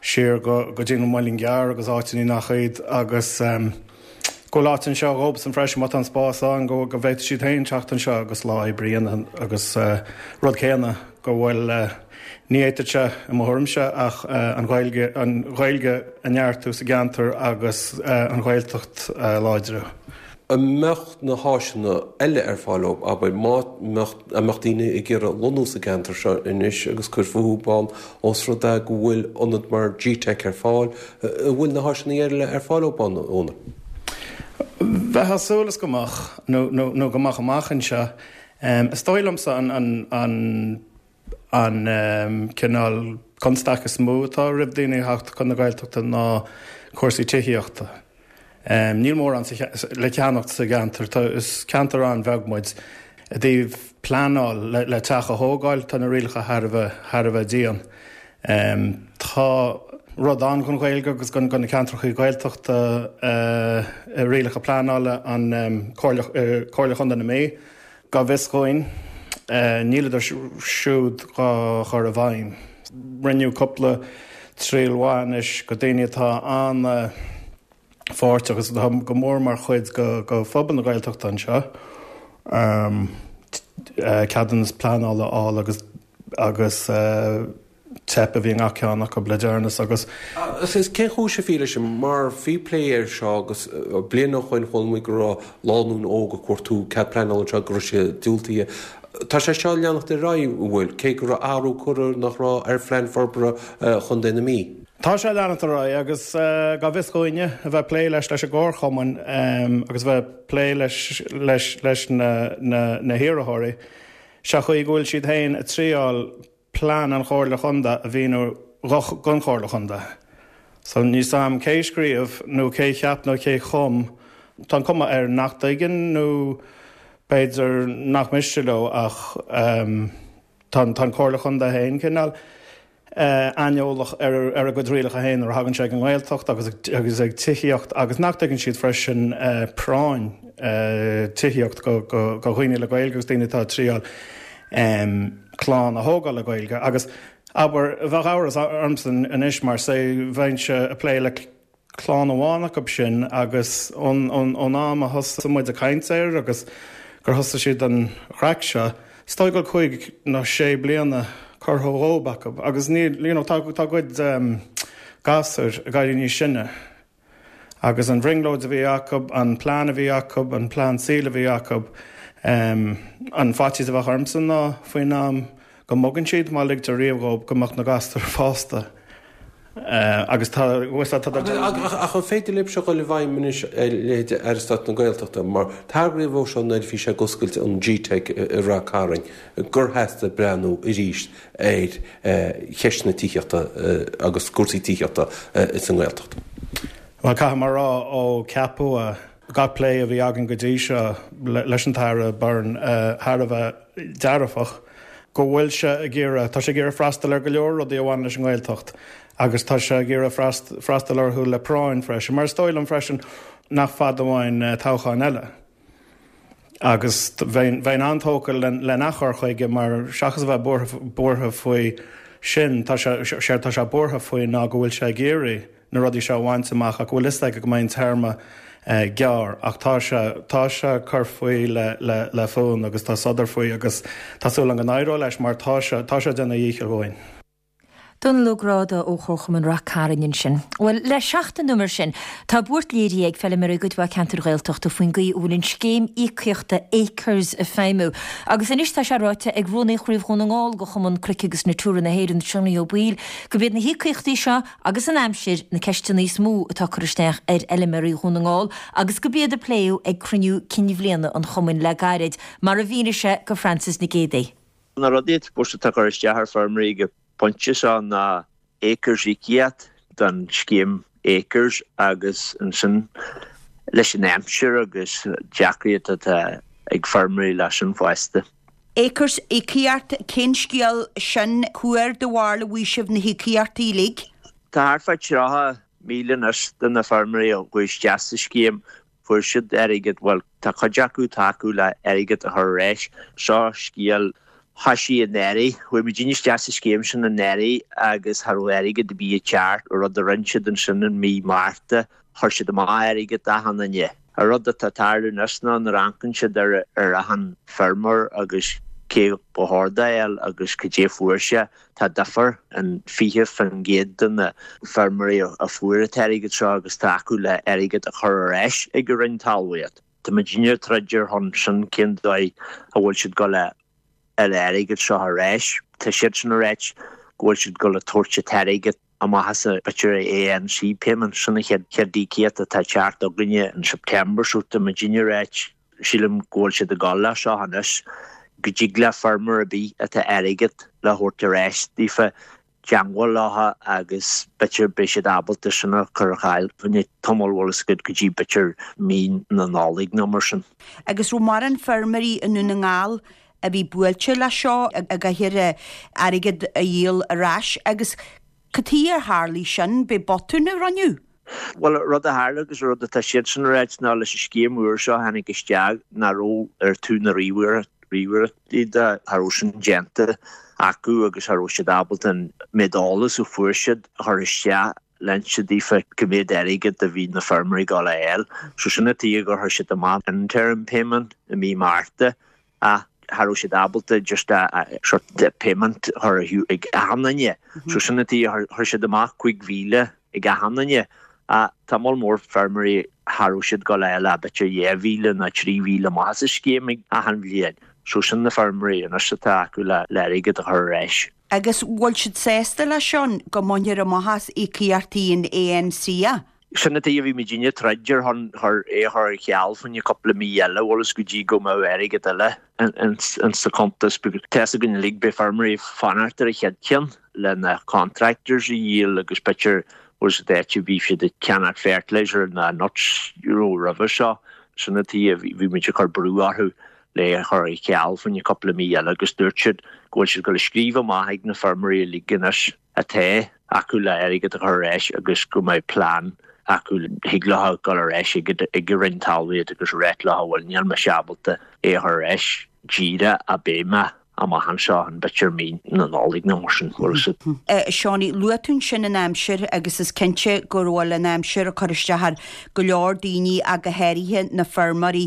siar go go dtí an Muileann gCearr agus áiteanna nach iad agus go bhfuil áit anseo dhóibhsan freisin má tá an spás ann go go bhféadfaidh siad féin teacht anseo agus lá oibre a dhéanamh agus rud céanna go bhfuil ní fhéadfadh sé i mo thuairimse ach an Ghaeilge an Ghaeilge a neartú sa gceantar agus an Ghaeltacht a láidriú. An mbeadh na háiseanna eile ar fáil dóibh, abair, má mbeadh, an mbeadh daoine ag iarraidh lonnú sa gceantar seo anois agus cur fúthu ann ós rud é go bhfuil ionad mar G-Teic ar fáil, an bhfuil na háiseanna eile ar fáil dóibh ann, Úna? Bheifeá ag súil is go mbeadh, nó, nó, nó go mbeadh amach anseo. Is dóigh liomsa an an an an cineál constaic is mó atá roimh daoine a theacht chun na Gaeltachta ná cúrsaí tithíochta. Níl mórán le ceannacht sa gceantar, is ceantar an-bheag muid. I dtaobh pleanáil le teach a thógáil, tá na rialacha thar a bheith thar a bheith dian. Tá rud ann don Ghaeilge agus do na ceantracha Gaeltachta i rialacha pleanála an Comhairle Comhairle Chontae na Mí. Go bhfios dhúinn, níleadar siúd dhá chur i bhfeidhm. Rinneadh cúpla triail mhaith anois go daoine atá an-pháirteach agus atá go mór mar chuid de phobal na Gaeltachta anseo ceadúnas pleanála a fháil agus agus teip a bhí i ngach ceann acu le deireanas agus. Agus cén chúis a bhí leis sin? Mar bhí plé air seo agus bliain ó shoin chuala muid go raibh lánúin óg ag cuartú cead pleanála anseo go raibh sé diúltaithe. Tá sé seo ag leanacht ar aghaidh, an bhfuil? Cé go raibh athrú curtha nach raibh ar phlean forbartha Chontae na Mí. Tá sé ag leanacht ar aghaidh agus go bhfios dhúinne a bheith ag plé leis leis an gcomharchumann agus a bheith ag plé leis leis leis na na hiarrthóirí, sé chaoi go bhfuil siad féin ag triáil plean an Chomhairle Chontae a mhíniú don Chomhairle Chontae. So níl 's a'm cé scríobh nó cé cheap nó cé chum, tá an cuma air nach dtuigeann nó b'fhéidir nach miste leo ach tá an Chomhairle Chontae féin cineál aineolach ar a gcuid rialacha féin nuair a thagann sé ag an nGaeltacht agus agus ag tithíocht agus nach dtuigeann siad freisin práinn tithíocht go dhaoine le Gaeilge agus daoine atá ag triáil clann a thógáil le Gaeilge agus abair bheadh amhras ormsa anois mar say bheinnse ag plé le clann amháin acu sin agus ón ón am a thosaigh muid ag caint air agus gur thosaigh siad an chraic seo, is dóigh go bhfuil cúig nó sé bliana curtha dhóib acu agus níl you know tá tá a gcuid gasúir ag éirí níos sine. Agus an bhrionglóid a bhí acu, an plean a bhí acu, an plean saoil a bhí acu, an faitíos a bheadh ormsa ná faoin am go mbogann siad, má ligtear riamh dhóibh, go mbeadh na gasúir fásta. Agus tá, tá, tá. Ach an féidir libh seo dhul i bhfeidhm anois ar leithéid Aire Stáit na Gaeltachta, mar tagraíodh dó seo nuair a bhí sé ag oscailt an G-Teic i Rath Cairn, gur theastaigh breathnú arís ar cheist na tithíochta agus cúrsaí tithíochta ins an nGaeltacht. Bhuel, caithfidh mé a rá, ó ceapadh é, gach plé a bhí againn go dtí seo leis an tAire Byrne thar a bheith dearfach, go bhfuil sé ag iarraidh, tá sé ag iarraidh freastal ar go leor rudaí a bhaineann leis an nGaeltacht agus tá sé ag iarraidh freastal orthu le práinn freisin, mar is dóigh liom freisin nach fada uainn toghchán eile. Agus bheinn an-tógtha lena chur chuige mar seachas a bheith buartha faoi sin, tá sé, séard tá sé buartha faoi ná go bhfuil sé ag iarraidh na rudaí seo a bhaint amach ach go bhfuil fhios aige go mbeidh an téarma gearr. Ach tá sé, tá sé ag cur faoi le, le, le fonn agus tá sodar faoi agus tá súil agam go n-éireoidh leis mar tá sé, tá sé ag déanamh a dhíchill dhúinn. Dónal Ó Gráda ó Chomharchumann Rath Cairn ansin. Bhuel, le seachtain nó mar sin, tá buairt léirithe ag feilméaraí i gcuid mhaith ceantair Ghaeltachta faoin gcaoi a bhfuil an scéim íocaíochta Acres ag feidhmiú. Agus anois tá sé ráite ag Rúnaí Chraobh Dhún na nGall de Chumann Cnoic agus Natura na hÉireann, Seánie Ó Baoill, gurb iad na híocaíochtaí seo agus an aimsir na ceisteanna is mó atá ag cur isteach ar fheilméaraí Dhún na nGall agus gurb iad a pléadh ag cruinniú cinn bhliana an chumainn le gairid, mar a mhínigh sé do Frances Nic Géadaigh. Na rudaí atá ag cur isteach ar feirmeoirí go pointe seo ná Acres íocaíocht don scéim Acres agus ansin leis an aimsir agus deacracht atá ag feirmeoirí leis sin fosta. Acres íocaíocht, cén scéal sin? Cá huair do bharúil a bhfaighidh sibh na híocaíochtaí uilig? Tá thart fá tríocha míle anois de na feirmeoirí a chuaigh isteach sa scéim Fuair siad airgead, bhuel, tá cuid acu tagtha le airgead a chur ar ais. Seo scéal thoisigh anuraidh. Chuaigh muidinne isteach sa scéim sin anuraidh agus cha raibh airgead ar bith ag teacht. Rud a rinne siad ansin in mí Márta, chuir siad amach airgead d'achan duine. An rud atá ag tarlú anois ná nuair a amharcann siad ar ar achan feirmeoir agus cé ba chóir dó a fháil agus cad é fuair sé, tá difear in fiche faoin gcéad de na feirmeoirí a fuair an t-airgead seo agus tá acu le airgead a chur ar ais ag an Roinn Talmhaíocht. Tá muidinne ag troid ar shon sin cén dóigh a bhfuil siad ag dul a fháil an airgead seo ar ais. Tá siadsan ag ráit go bhfuil siad ag dul a tabhairt an t-airgead amach as an b'fhéidir ANC payment, sin an chéad chéad íocaíocht atá ag teacht againne in September so tá muidinne ag ráit sílim go bhfuil siad ag dul leis seo anois. go dtig le feirmeoir ar bith atá airgead le thabhairt ar ais daofa teagmháil leo agus b'fhéidir beidh siad ábalta sin a chur ar fáil fá choinne tamall bhfuil fhios agat go dtí b'fhéidir mí na Nollag nó mar sin. Agus raibh mórán feirmeoirí i nDún na nGall a bhí buailte leis seo a gcaithfear airgead a dhíol ar ais agus cad chuige ar tharlaigh sin, b'é botún a rinneadh? Bhuel, rud a tharla agus rud atá siadsan a ráit ná leis an scéim úr seo a tháinig isteach nach raibh ar taobh na ríomhaireachtaí de, cha raibh sin déanta acu agus cha raibh siad ábalta an méid eolas a fuair siad a chur isteach le hinse daofa cá mhéad airgead a bhí na feirmeoirí ag dul a fháil. So sin an tuige gur chuir siad amach interim payment i mí Márta ach cha raibh siad ábalta just a sort payment a chur ag achan duine. So sin an tuige chuir siad amach cúig mhíle ag achan duine. Ach tá moll mór feirmeoirí cha raibh siad ag dul a fháil ach b'fhéidir dhá mhíle nó trí mhíle amach as an scéim ag achan bhliain. So sin na feirmeoirí anois atá acu le airgead a chur ar ais. Agus bhfuil siad sásta leis seo go mbainfear amach as íocaíochtaí an ANC? Sin an tuige a bhí muidinne ag troid ar shon chur é a chur ar ceal fá choinne cúpla mí eile, bhfuil fhios go dtí go mbeadh airgead eile ins sa cuntas because tá fhios againn uilig beidh feirmeoirí ag fanacht ar an chéad cheann le na contractors a dhíol agus b'fhéidir bhfuil fhios agat áit a bhí siad ag ceannach fertilizer ná nuts you know roimhe seo. Sin an tuige a bhí muid ag cur brú orthu le é a chur ar ceal fá choinne cúpla mí eile agus dúirt siad go bhfuil siad ag dul a scríobh amach ag na feirmeoirí uilig anois atá acu le airgead a chur ar ais agus go mbeidh plean acu thig leo dul ar ais ag an Roinn Talmhaíochta agus ráit leo bhuel níl mise ábalta é a chur ar ais díreach ach beidh mé amach anseo in b'fhéidir mí na Nollag nó mar sin bhfuil fhios agat. A Seánie, luaigh tú ansin an aimsir agus is cinnte go bhfuil an aimsir ag cur isteach ar go leor daoine ach go háirithe na feirmeoirí.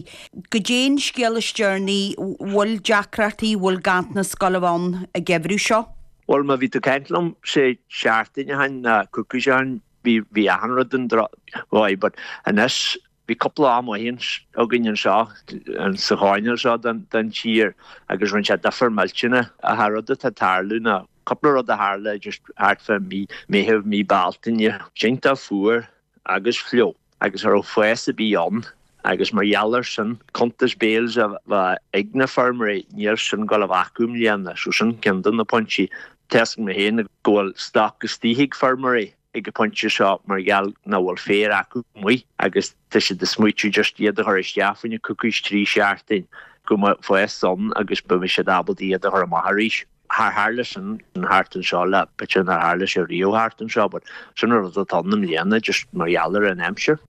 Goidé an scéal is deireanaí, bhfuil deacrachtaí, bhfuil ganntanas ag gabháil a bheith ann an geimhreadh seo? Bhuel, má bhí tú ag caint liom sé seachtain ó shin nó coicís ó shin, bhí bhí achan rud an dro-mhaith, but anois bhí cúpla lá maith againn anseo sa choirnéal seo den den tír agus rinne sé difear millteanach. Ach an rud atá ag tarlú ná cúpla rud a tharla just thart fá mí Meitheamh, mí Bealtaine, iontach fuar agus fliuch agus cha raibh fás ar bith ann. Agus mar gheall air sin, cuntas bales a bheith ag na feirmeoirí, níl sin ag gabháil a bheith acu i mbliana. So sin ceann de na pointí. Tá fhios agam féin go bhfuil stoc istigh ag feirmeoirí ag an bpointe seo mar gheall nach bhfuil féar acu amuigh agus tá siad ag smaoitiú just iad a chur isteach fá choinne coicís trí seachtain go mbeidh fás ann agus beidh siad ábalta iad a chur amach arís. Char tharla sin thart anseo le b'fhéidir nár tharla sé riamh thart anseo but sin an rud atá ann i mbliana just mar gheall ar an aimsir.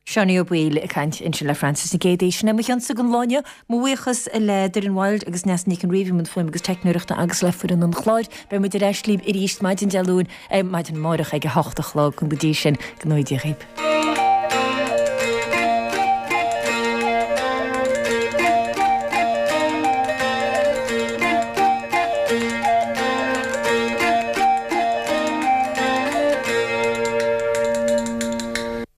Seánie Ó Baoill ag caint ansin le Frances Nic Géadaigh. Sin é mo chionsa don lá inniu. Mo bhuíochas le Doireann Wilde agus Neasa Nic an Rí i mbun fuaime agus teicneoireachta agus le foireann an chláir. Beidh muid ar ais libh arís maidin Dé Luain, maidin amárach ag a hocht a chlog. Go dtí sin, go ngnóthaí Dia dhaoibh.